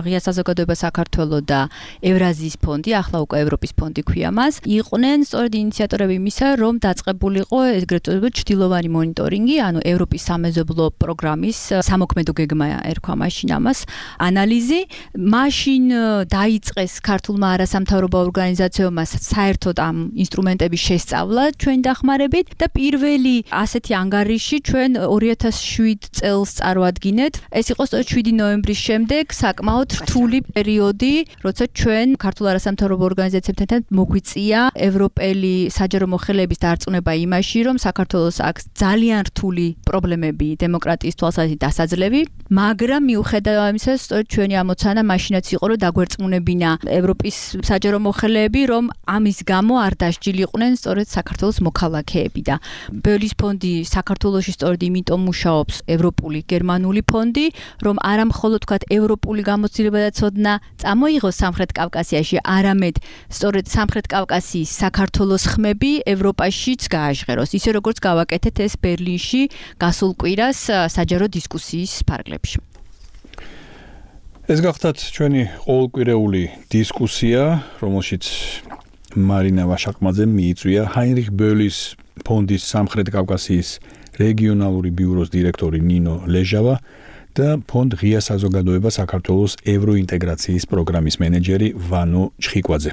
ღია საზოგადოება საქართველოს და ევრაზიის ფონდი, ახლა უკვე ევროპის ფონდი ქვია მას, იყვნენ სწორედ ინიციატორები იმისა, რომ დაწყებულიყო ეგრეთ წოდებული ჩრდილოვანი მონიტორინგი, ანუ ევროპის სამეზობლო პროგრამის სამოქმედო გეგმა ერქვა მაშინ ამას, ანალიზი. მაშინ დაიწყეს ქართულმა არასამთავრობო ორგანიზაციებმა საერთოდ ამ ინსტრუმენტების შესწავლა ჩვენი დახმარებით და პირველი ასეთი ანგარიში ჩვენ 2007 წელს წარვადგინეთ. ეს იყო სწორედ 7 ნოემბრის შემდეგ საკმაოდ რთული პერიოდი, როცა ჩვენ ქართულ არასამთავრობო ორგანიზაციებთან მოგვიწია ევროპელი საჯარო მოხელეების დარწმუნება იმაში, რომ საქართველოს აქვს ძალიან რთული პრობლემები დემოკრატიის თვალსაზრისით დასაძლევი, მაგრამ მიუხედავად ამისა, სწორედ ჩვენი ამოცანა მაშინაც იყო, რომ დაგვერწმუნებინა ევროპის საჯარო მოხელეები, რომ ამის გამო არ დასჯილიყვნენ სწორედ საქართველოს მოქალაქეები და ბელის ფონდი საქართველოში სწორედ იმიტომ მუშაობს ევროპული გერმანული ფონდი, რომ არა მხოლოდ თქვათ ევროპული გამოცდილება და ცოდნა წამოიღოს სამხრეთ კავკასიაში, არამედ სწორედ სამხრეთ კავკასიის საქართველოს ხმები ევროპაშიც გააჟღეროს, ისე როგორც გავაკეთეთ ეს ბერლინში გასულ კვირას საჯარო დისკუსიის ფარგლებში. ეს გახლავთ ჩვენი ყოველკვირეული დისკუსია, რომელშიც მარინა ვაშაკმაძემ მიიწვია ჰაინრიხ ბოლის ფონდის სამხრეთ კავკასიის რეგიონალური ბიუროს დირექტორი ნინო ლეჟავა და ფონდ ღია საზოგადოება საქართველოს ევროინტეგრაციის პროგრამის მენეჯერი ვანო ჩხიკვაძე.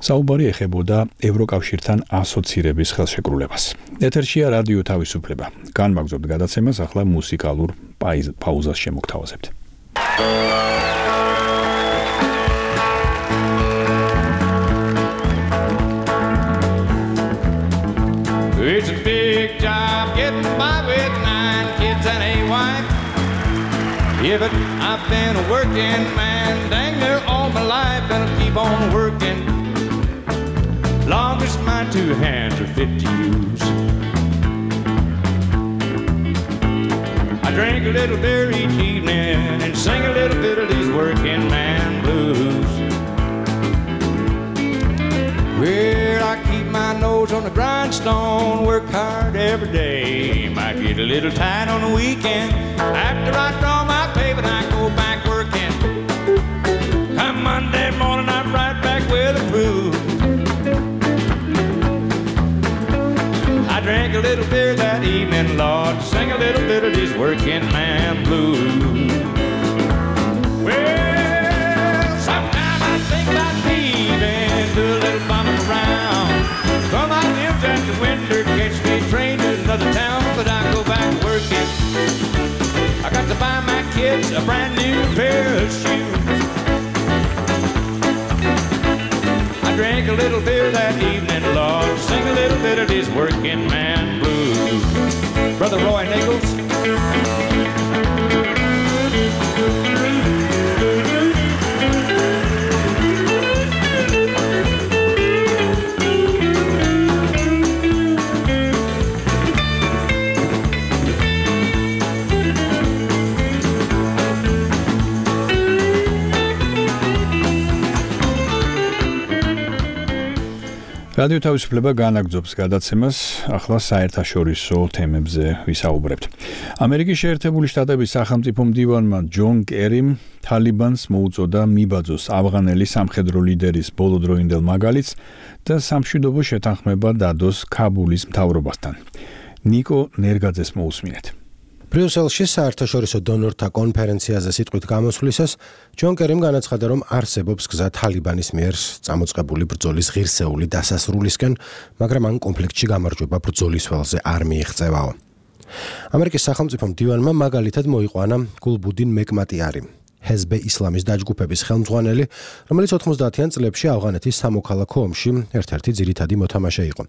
საუბარი ეხებოდა ევროკავშირთან ასოცირების ხელშეკრულებას. ეთერშია რადიო თავისუფლება. განმაგზავნებთ გადაცემას, ახლა მუსიკალურ პაუზას შემოგთავაზებთ. It's a big job getting by with 9 kids and a wife. Yeah, but I've been a working man dang near all my life, and I'll keep on working long as my 2 hands are fit to use. I drink a little beer each evening and sing a little bit of these working man blues. Well, I keep my nose on the grindstone, work hard every day. Might get a little tight on the weekend. After I draw my pay, but I go back working. Come Monday morning, I'm right back with the crew. I drank a little beer that evening, Lord, sing a little bit of these working man blues. Well, sometimes I think about leaving, do a little bumming around. Come out lives after winter, catch me a train to another town, but I go back working. I got to buy my kids a brand new pair of shoes. I drank a little beer that evening, Lord, sing a little bit of these working man blues. Brother Roy Nichols. რადიო თავისუფლება განაგრძობს გადაცემას, ახლა საერთაშორისო თემებზე ვისაუბრებთ. ამერიკის შეერთებული შტატების სახელმწიფო მდივანმა ჯონ კერიმ თალიბანს მოუწოდა მიბაძოს ავღანელი სამხედრო ლიდერის ბოლოდროინდელ მაგალითს და სამშვიდობო შეთანხმება დადოს ქაბულის მთავრობასთან. ნიკო ნერგაძეს მოусმინეთ. ბრიუსელში საერთაშორისო დონორთა კონფერენციაზე სიტყვით გამოსვლისას ჯონ კერიმ განაცხადა, რომ არსებობს გზა თალიბანის მიერ წამოწყებული ბრძოლის ღირსეული დასასრულისკენ, მაგრამ ამ კონფლიქტში გამარჯვება ბრძოლის ველზე არ მიიღწევაო. ამერიკის სახელმწიფო მდივანმა მაგალითად მოიყვანა გულბუდინ მეკმატიარი, ჰეზბე ისლამის დაჯგუფების ხელმძღვანელი, რომელიც 90-იან წლებში ავღანეთის სამოქალაქო ომში ერთ-ერთი ძირითადი მოთამაშე იყო.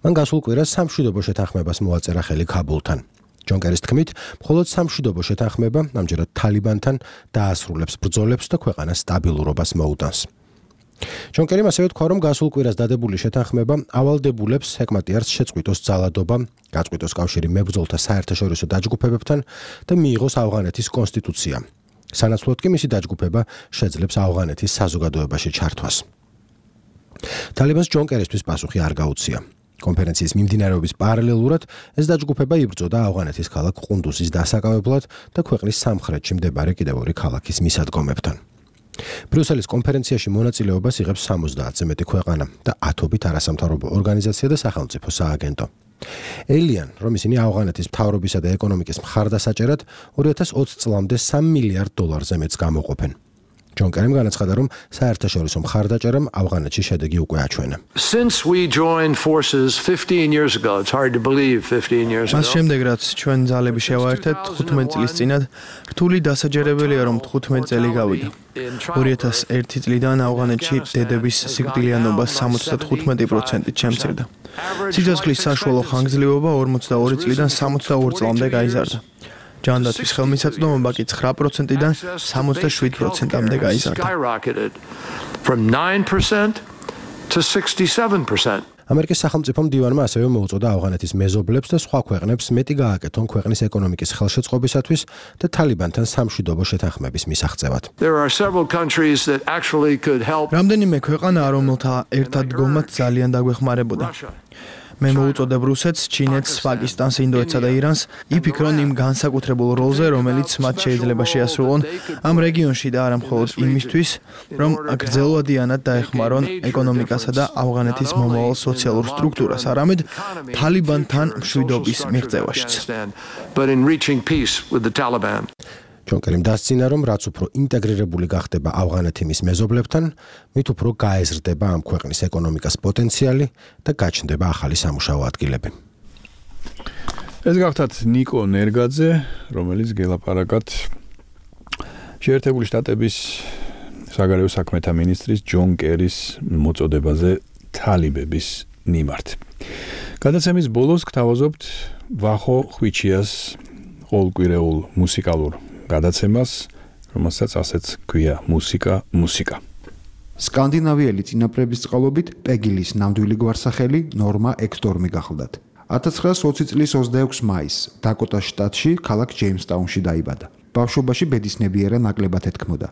მან გასულ კვირას სამშვიდობო შეთანხმებას მოაწერა ხელი ქაბულთან. ჯონ კერის თქმით, მხოლოდ სამშვიდობო შეთანხმება ამჯერად თალიბანთან დაასრულებს ბრძოლებს და ქვეყანას სტაბილურობას მოუტანს. ჯონ კერიმ ასევე თქვა, რომ გასულ კვირას დადებული შეთანხმება ავალდებულებს ჰეკმატიარს შეწყვიტოს ძალადობა, გაწყვიტოს კავშირი მებრძოლთა საერთაშორისო დაჯგუფებებთან და მიიღოს ავღანეთის კონსტიტუცია. სანაცვლოდ კი მისი დაჯგუფება შეძლებს ავღანეთის საზოგადოებაში ჩართვას. თალიბანს ჯონ კერისთვის პასუხი არ გაუწია. კონფერენციის მიმდინარეობის პარალელურად ეს დაჯგუფება იბრძოდა ავღანეთის ქალაქ ყუნდუზის დასაკავებლად და ქვეყნის სამხრეთში მდებარე კიდევ ორი ქალაქის მისადგომებთან. ბრიუსელის კონფერენციაში მონაწილეობას იღებს 70-ზე მეტი ქვეყანა და ათობით არასამთავრობო ორგანიზაცია და სახელმწიფო სააგენტო. ელიან, რომ ისინი ავღანეთის მთავრობისა და ეკონომიკის მხარდასაჭერად 2020 წლამდე $3 მილიარდზე მეტს გამოყოფენ. ჯონ კერიმ განაცხადა, რომ საერთაშორისო მხარდაჭერამ ავღანეთში შედეგი უკვე აჩვენა. Since we joined forces 15 years ago, it's hard to believe 15 years ago. მას შემდეგ რაც ჩვენ ძალები შევაერთეთ 15 წლის წინათ, რთული დასაჯერებელია, რომ 15 წელი გავიდა. 2001 წლიდან ავღანეთში დედების სიკვდილიანობა 75%-ით შემცირდა. სიცოცხლის საშუალო ხანგრძლივობა 42 წლიდან 62 წლამდე გაიზარდა. ჯანდაცვის ხელმისაწვდომობა კი 9%-დან 77%-მდე გაიზარდა. From 9% to 67%. ამერიკის სახელმწიფო მდივანმა ასევე მოუწოდა ავღანეთის მეზობლებს და სხვა ქვეყნებს მეტი გააკეთონ ქვეყნის ეკონომიკის ხელშეწყობისათვის და თალიბანთან სამშვიდობო შეთანხმების მისაღწევად. There are several countries that actually could help. რამდენიმე ქვეყანა, რომელთა ერთად დგომაც ძალიან დაგვეხმარებოდა. მე მოვუწოდებ რუსეთს, ჩინეთს, პაკისტანს, ინდოეთსა და ირანს, იფიქრონ იმ განსაკუთრებულ როლზე, რომელიც მათ შეიძლება შეასრულონ ამ რეგიონში და არა მხოლოდ იმისთვის, რომ გრძელვადიანად დაეხმარონ ეკონომიკასა და ავღანეთის მომავალ სოციალურ სტრუქტურას, არამედ თალიბანთან მშვიდობის მიღწევაშიც. ჯონ კერიმ დასცინა, რომ რაც უფრო ინტეგრირებული გახდება ავღანეთი მის მეზობლებთან, მით უფრო გაეზრდება ამ ქვეყნის ეკონომიკის პოტენციალი და გაჩნდება ახალი სამუშაო ადგილები. ეს გახდათ ნიკო ნერგაძე, რომელიც გელაპარაკად შეერთებული შტატების საგარეო საქმეთა მინისტრის ჯონ კერის მოწოდებაზე თალიბების მიმართ. გადაცემის ბოლოს გთავაზობთ ვახო ხვიჩიას ყოველკვირეულ მუსიკალურ გადაცემას, რომელსაც ასეც ქვია მუსიკა. სკანდინავიელი წინაპრების წყალობით პეგილის ნამდვილი გვარსახელი ნორმა ექსტორმი გახლდათ. 1920 წლის 26 მაისს დაკოტას შტატში, ქალაქ ჯეიმსტაუნში დაიბადა. ბავშვობაში ბედისნებიერა ნაკლებად ეთქმოდა.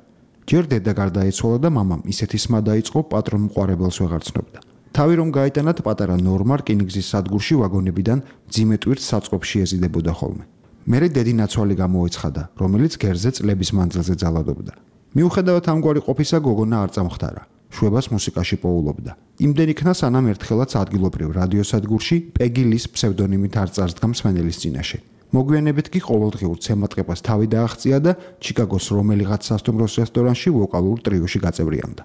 ჯერ დედა გარდაეცვალა და მამამ ისეთი სმა დაიწყო, პატრონ-მყარებელს ვეღარ ცნობდა. თავი რომ გაიტანათ, პატარა ნორმა რკინიგზის სადგურში ვაგონებიდან მძიმე ტვირთს საწყობში ეზიდებოდა ხოლმე. მერე დედი ნაცვალი გამოეცხადა, რომელიც გერზე წლების მანძილზე ძალადობდა. მიუხედავად ამგვარი ყოფისა, გოგონა არ წამხდარა. შვებას მუსიკაში პოულობდა. იმდენ იქნა, სანამ ერთხელაც ადგილობრივ რადიოსადგურში პეგილის ფსევდონიმით არ წარსდგა მსმენელის წინაშე. მოგვიანებით კი ყოველდღიურ ცემატყებას თავი დააღწია და ჩიკაგოს რომელიღაც სასტუმროს რესტორანში ვოკალურ ტრიოში გაწევრიანდა.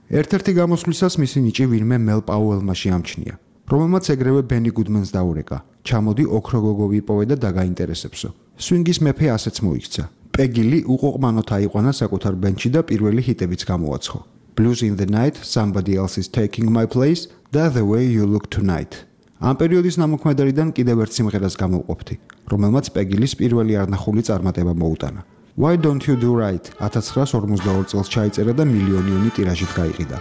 ერთ-ერთი გამოსვლისას მისი ნიჭი ვინმე მელ პაუელმა შეამჩნია, რომელმაც ეგრევე ბენი გუდმენს დაურეკა. ჩამოდი ოქრო გოგო ვიპოვე და დაგაინტერესებსო. სვინგის მეფე ასეც მოიქცა. პეგილი უყოყმანოთ აიყვანა საკუთარ ბენდში და პირველი ჰიტებიც გამოაცხო. Blues in the Night, Somebody Else is Taking My Place და The Way You Look Tonight. ამ პერიოდის ნამოქმედარიდან კიდევ ერთ სიმღერას გამოვყოფთი, რომელმაც პეგილის პირველი არნახული წარმატება მოუტანა. Why Don't You Do Right 1952 წელს ჩაიწერა და მილიონიანი ტირაჟით გაიყიდა.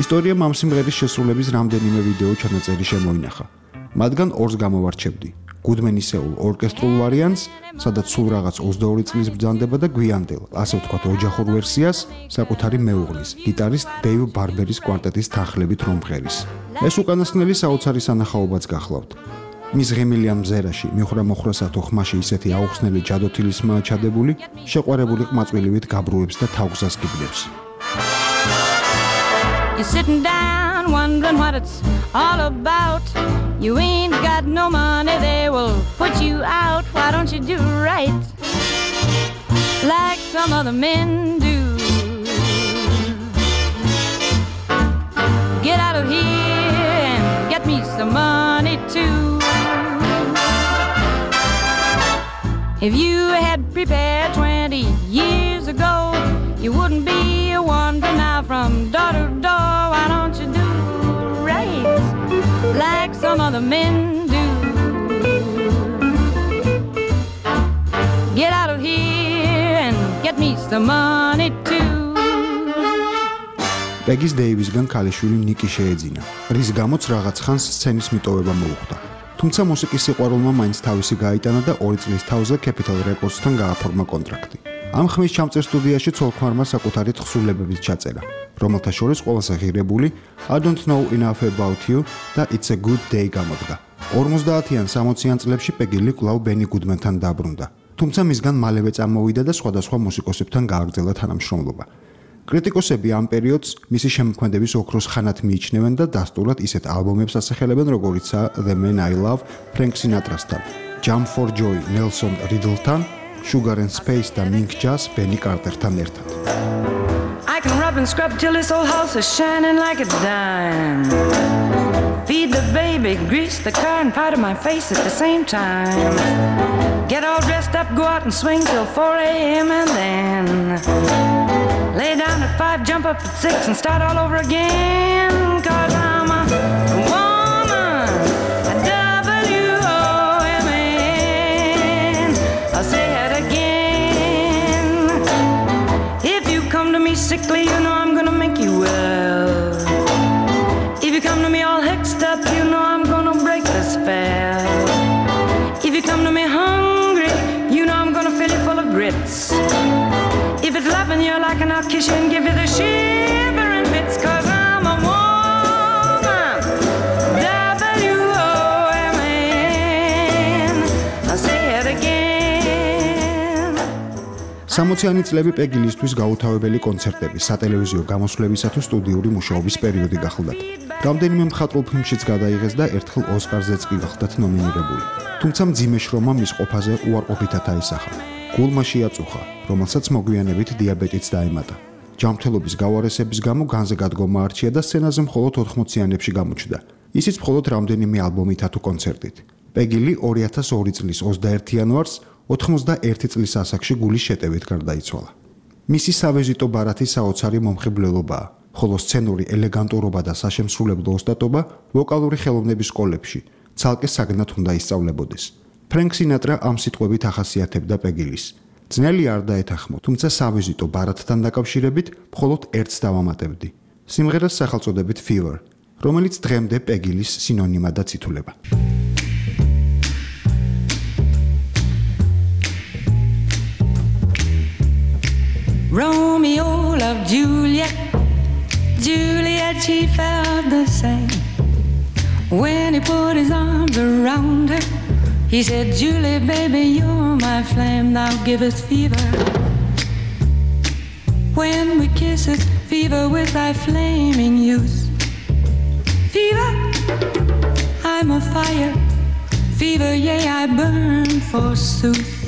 ისტორიამ ამ სიმღერის შესრულების რამდენიმე ვიდეო ჩანაწერი შემოინახა. მათგან ორს გამოვარჩევდი. გუდმენისეულ ორკესტრულ ვარიანტს, სადაც სულ რაღაც 22 წლის ბრძანდება და გვიანდელ, ასე ვთქვათ, ოჯახურ ვერსიას, საკუთარი მეუღლის, გიტარისტ დეივ ბარბერის კვარტეტის თანხლებით რომ მღერის. ეს უკანასკნელი საოცარი სანახაობაც გახლავთ. მის ღიმილიან მზერაში, მიხრა-მოხრასა თუ ხმაში ისეთი აუხსნელი ჯადოთილისმაა ჩადებული, შეყვარებული ყმაწვილივით გაბრუებს და თაგვზას გიბნებს. You're sitting down wondering what it's all about. You ain't got no money, they will put you out. Why don't you do right like some other men do? Get out of here and get me some money too. If you had prepared 20 years ago, you wouldn't be wandering now from door to door. Why don't you do right like some other men do? Get out of here and get me some money too. პეგის დეივისგან ქალიშვილი ნიკი შეეძინა, რის გამოც რაღაც ხანს სცენის მიტოვება მოუხდა. თუმცა მუსიკის სიყვარულმა მაინც თავისი გაიტანა და 2 წლის თავზე Capitol Records-თან გააფორმა კონტრაქტი. ამ ხმის ჩამწერ სტუდიაში ცოლ-ქმარმა საკუთარი თხზულებებით ჩაწერა, რომელთა შორის ყველაზე ღირებული I Don't Know Enough About You და It's a Good Day გამოდგა. 50-იან 60-იან წლებში პეგილი კვლავ ბენი გუდმენთან დაბრუნდა, თუმცა მისგან მალევე წამოვიდა და სხვადასხვა მუსიკოსებთან გააგრძელა თანამშრომლობა. კრიტიკოსები ამ პერიოდს მისი შემოქმედების ოქროს ხანად მიიჩნევენ და დასტურად ისეთ ალბომებს ასახელებენ, როგორიცაა The Man I Love, Frank Sinatra-სთან, Jump for Joy, Nelson Riddle-თან, Sugar and Space და Mink Jazz, Benny Carter-თან ერთად. I can rub and scrub till this whole house is shining like a dime. Feed the baby, grease the car and powder my face at the same time. Get all dressed up, go out and swing till 4 a.m. and then lay down at 5, jump up at 6 and start all over again. 'Cause I'm a woman, a W-O-M-A-N. I'll say it again. If you come to me sickly, you know I'm gonna make you well. If you come to me all hexed up, you know I'm gonna break the spell. If you come to me hungry, you know I'm gonna fill you full of grits. If it's loving you like and I'll kiss you and give you the shivering bits. 'Cause I'm a woman, W-O-M-A-N. 60-იანი წლები პეგილისთვის გაუთავებელი კონცერტები, სატელევიზიო გამოსვლებისა თუ სტუდიური მუშაობის პერიოდი გახლდათ. რამდენიმე მხატვრულ ფილმშიც გადაიღეს და ერთხელ ოსკარზეც კი გახლდათ ნომინირებული. თუმცა მძიმე შრომა მის ყოფაზე უარყოფითად აისახა. გულმა შეაწუხა, რომელსაც მოგვიანებით დიაბეტიც დაემატა. ჯანმრთელობის გავარესების გამო განზე გადგომა არჩია და სცენაზე მხოლოდ 80-იანებში გამოჩნდა. ისიც მხოლოდ რამდენიმე ალბომითა თუ კონცერტით. პეგილი 2002 წლის 21 იანვარს 91 წლის ასაკში გულის შეტევით გარდაიცვალა. მისი სავიზიტო ბარათი საოცარი მომხიბვლელობაა, ხოლო სცენური ელეგანტურობა და საშემსრულებლო ოსტატობა ვოკალური ხელოვნების სკოლებში ცალკე საგნად უნდა ისწავლებოდეს. ფრენკ სინატრა ამ სიტყვებით ახასიათებდა პეგილის. ძნელი არ დაეთანხმო, თუმცა სავიზიტო ბარათთან დაკავშირებით მხოლოდ ერთს დავამატებდი. სიმღერას სახელწოდებით Fever, რომელიც დღემდე პეგილის სინონიმადაც ითვლება. Romeo loved Juliet, Juliet she felt the same. When he put his arms around her, he said, Julie, baby, you're my flame, thou givest fever. When we kiss it, fever with thy flaming youth. Fever, I'm a fire, fever, yea, I burn forsooth.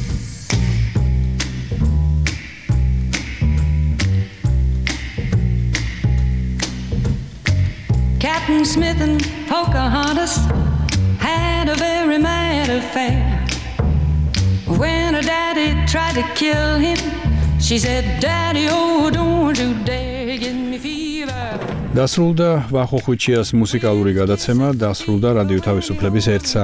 Captain Smith and Pocahontas had a very mad affair. When her daddy tried to kill him, she said, Daddy, oh, don't you dare give me fever. დასრულდა ვახო ხვიჩიას მუსიკალური გადაცემა, დასრულდა რადიო თავისუფლების 1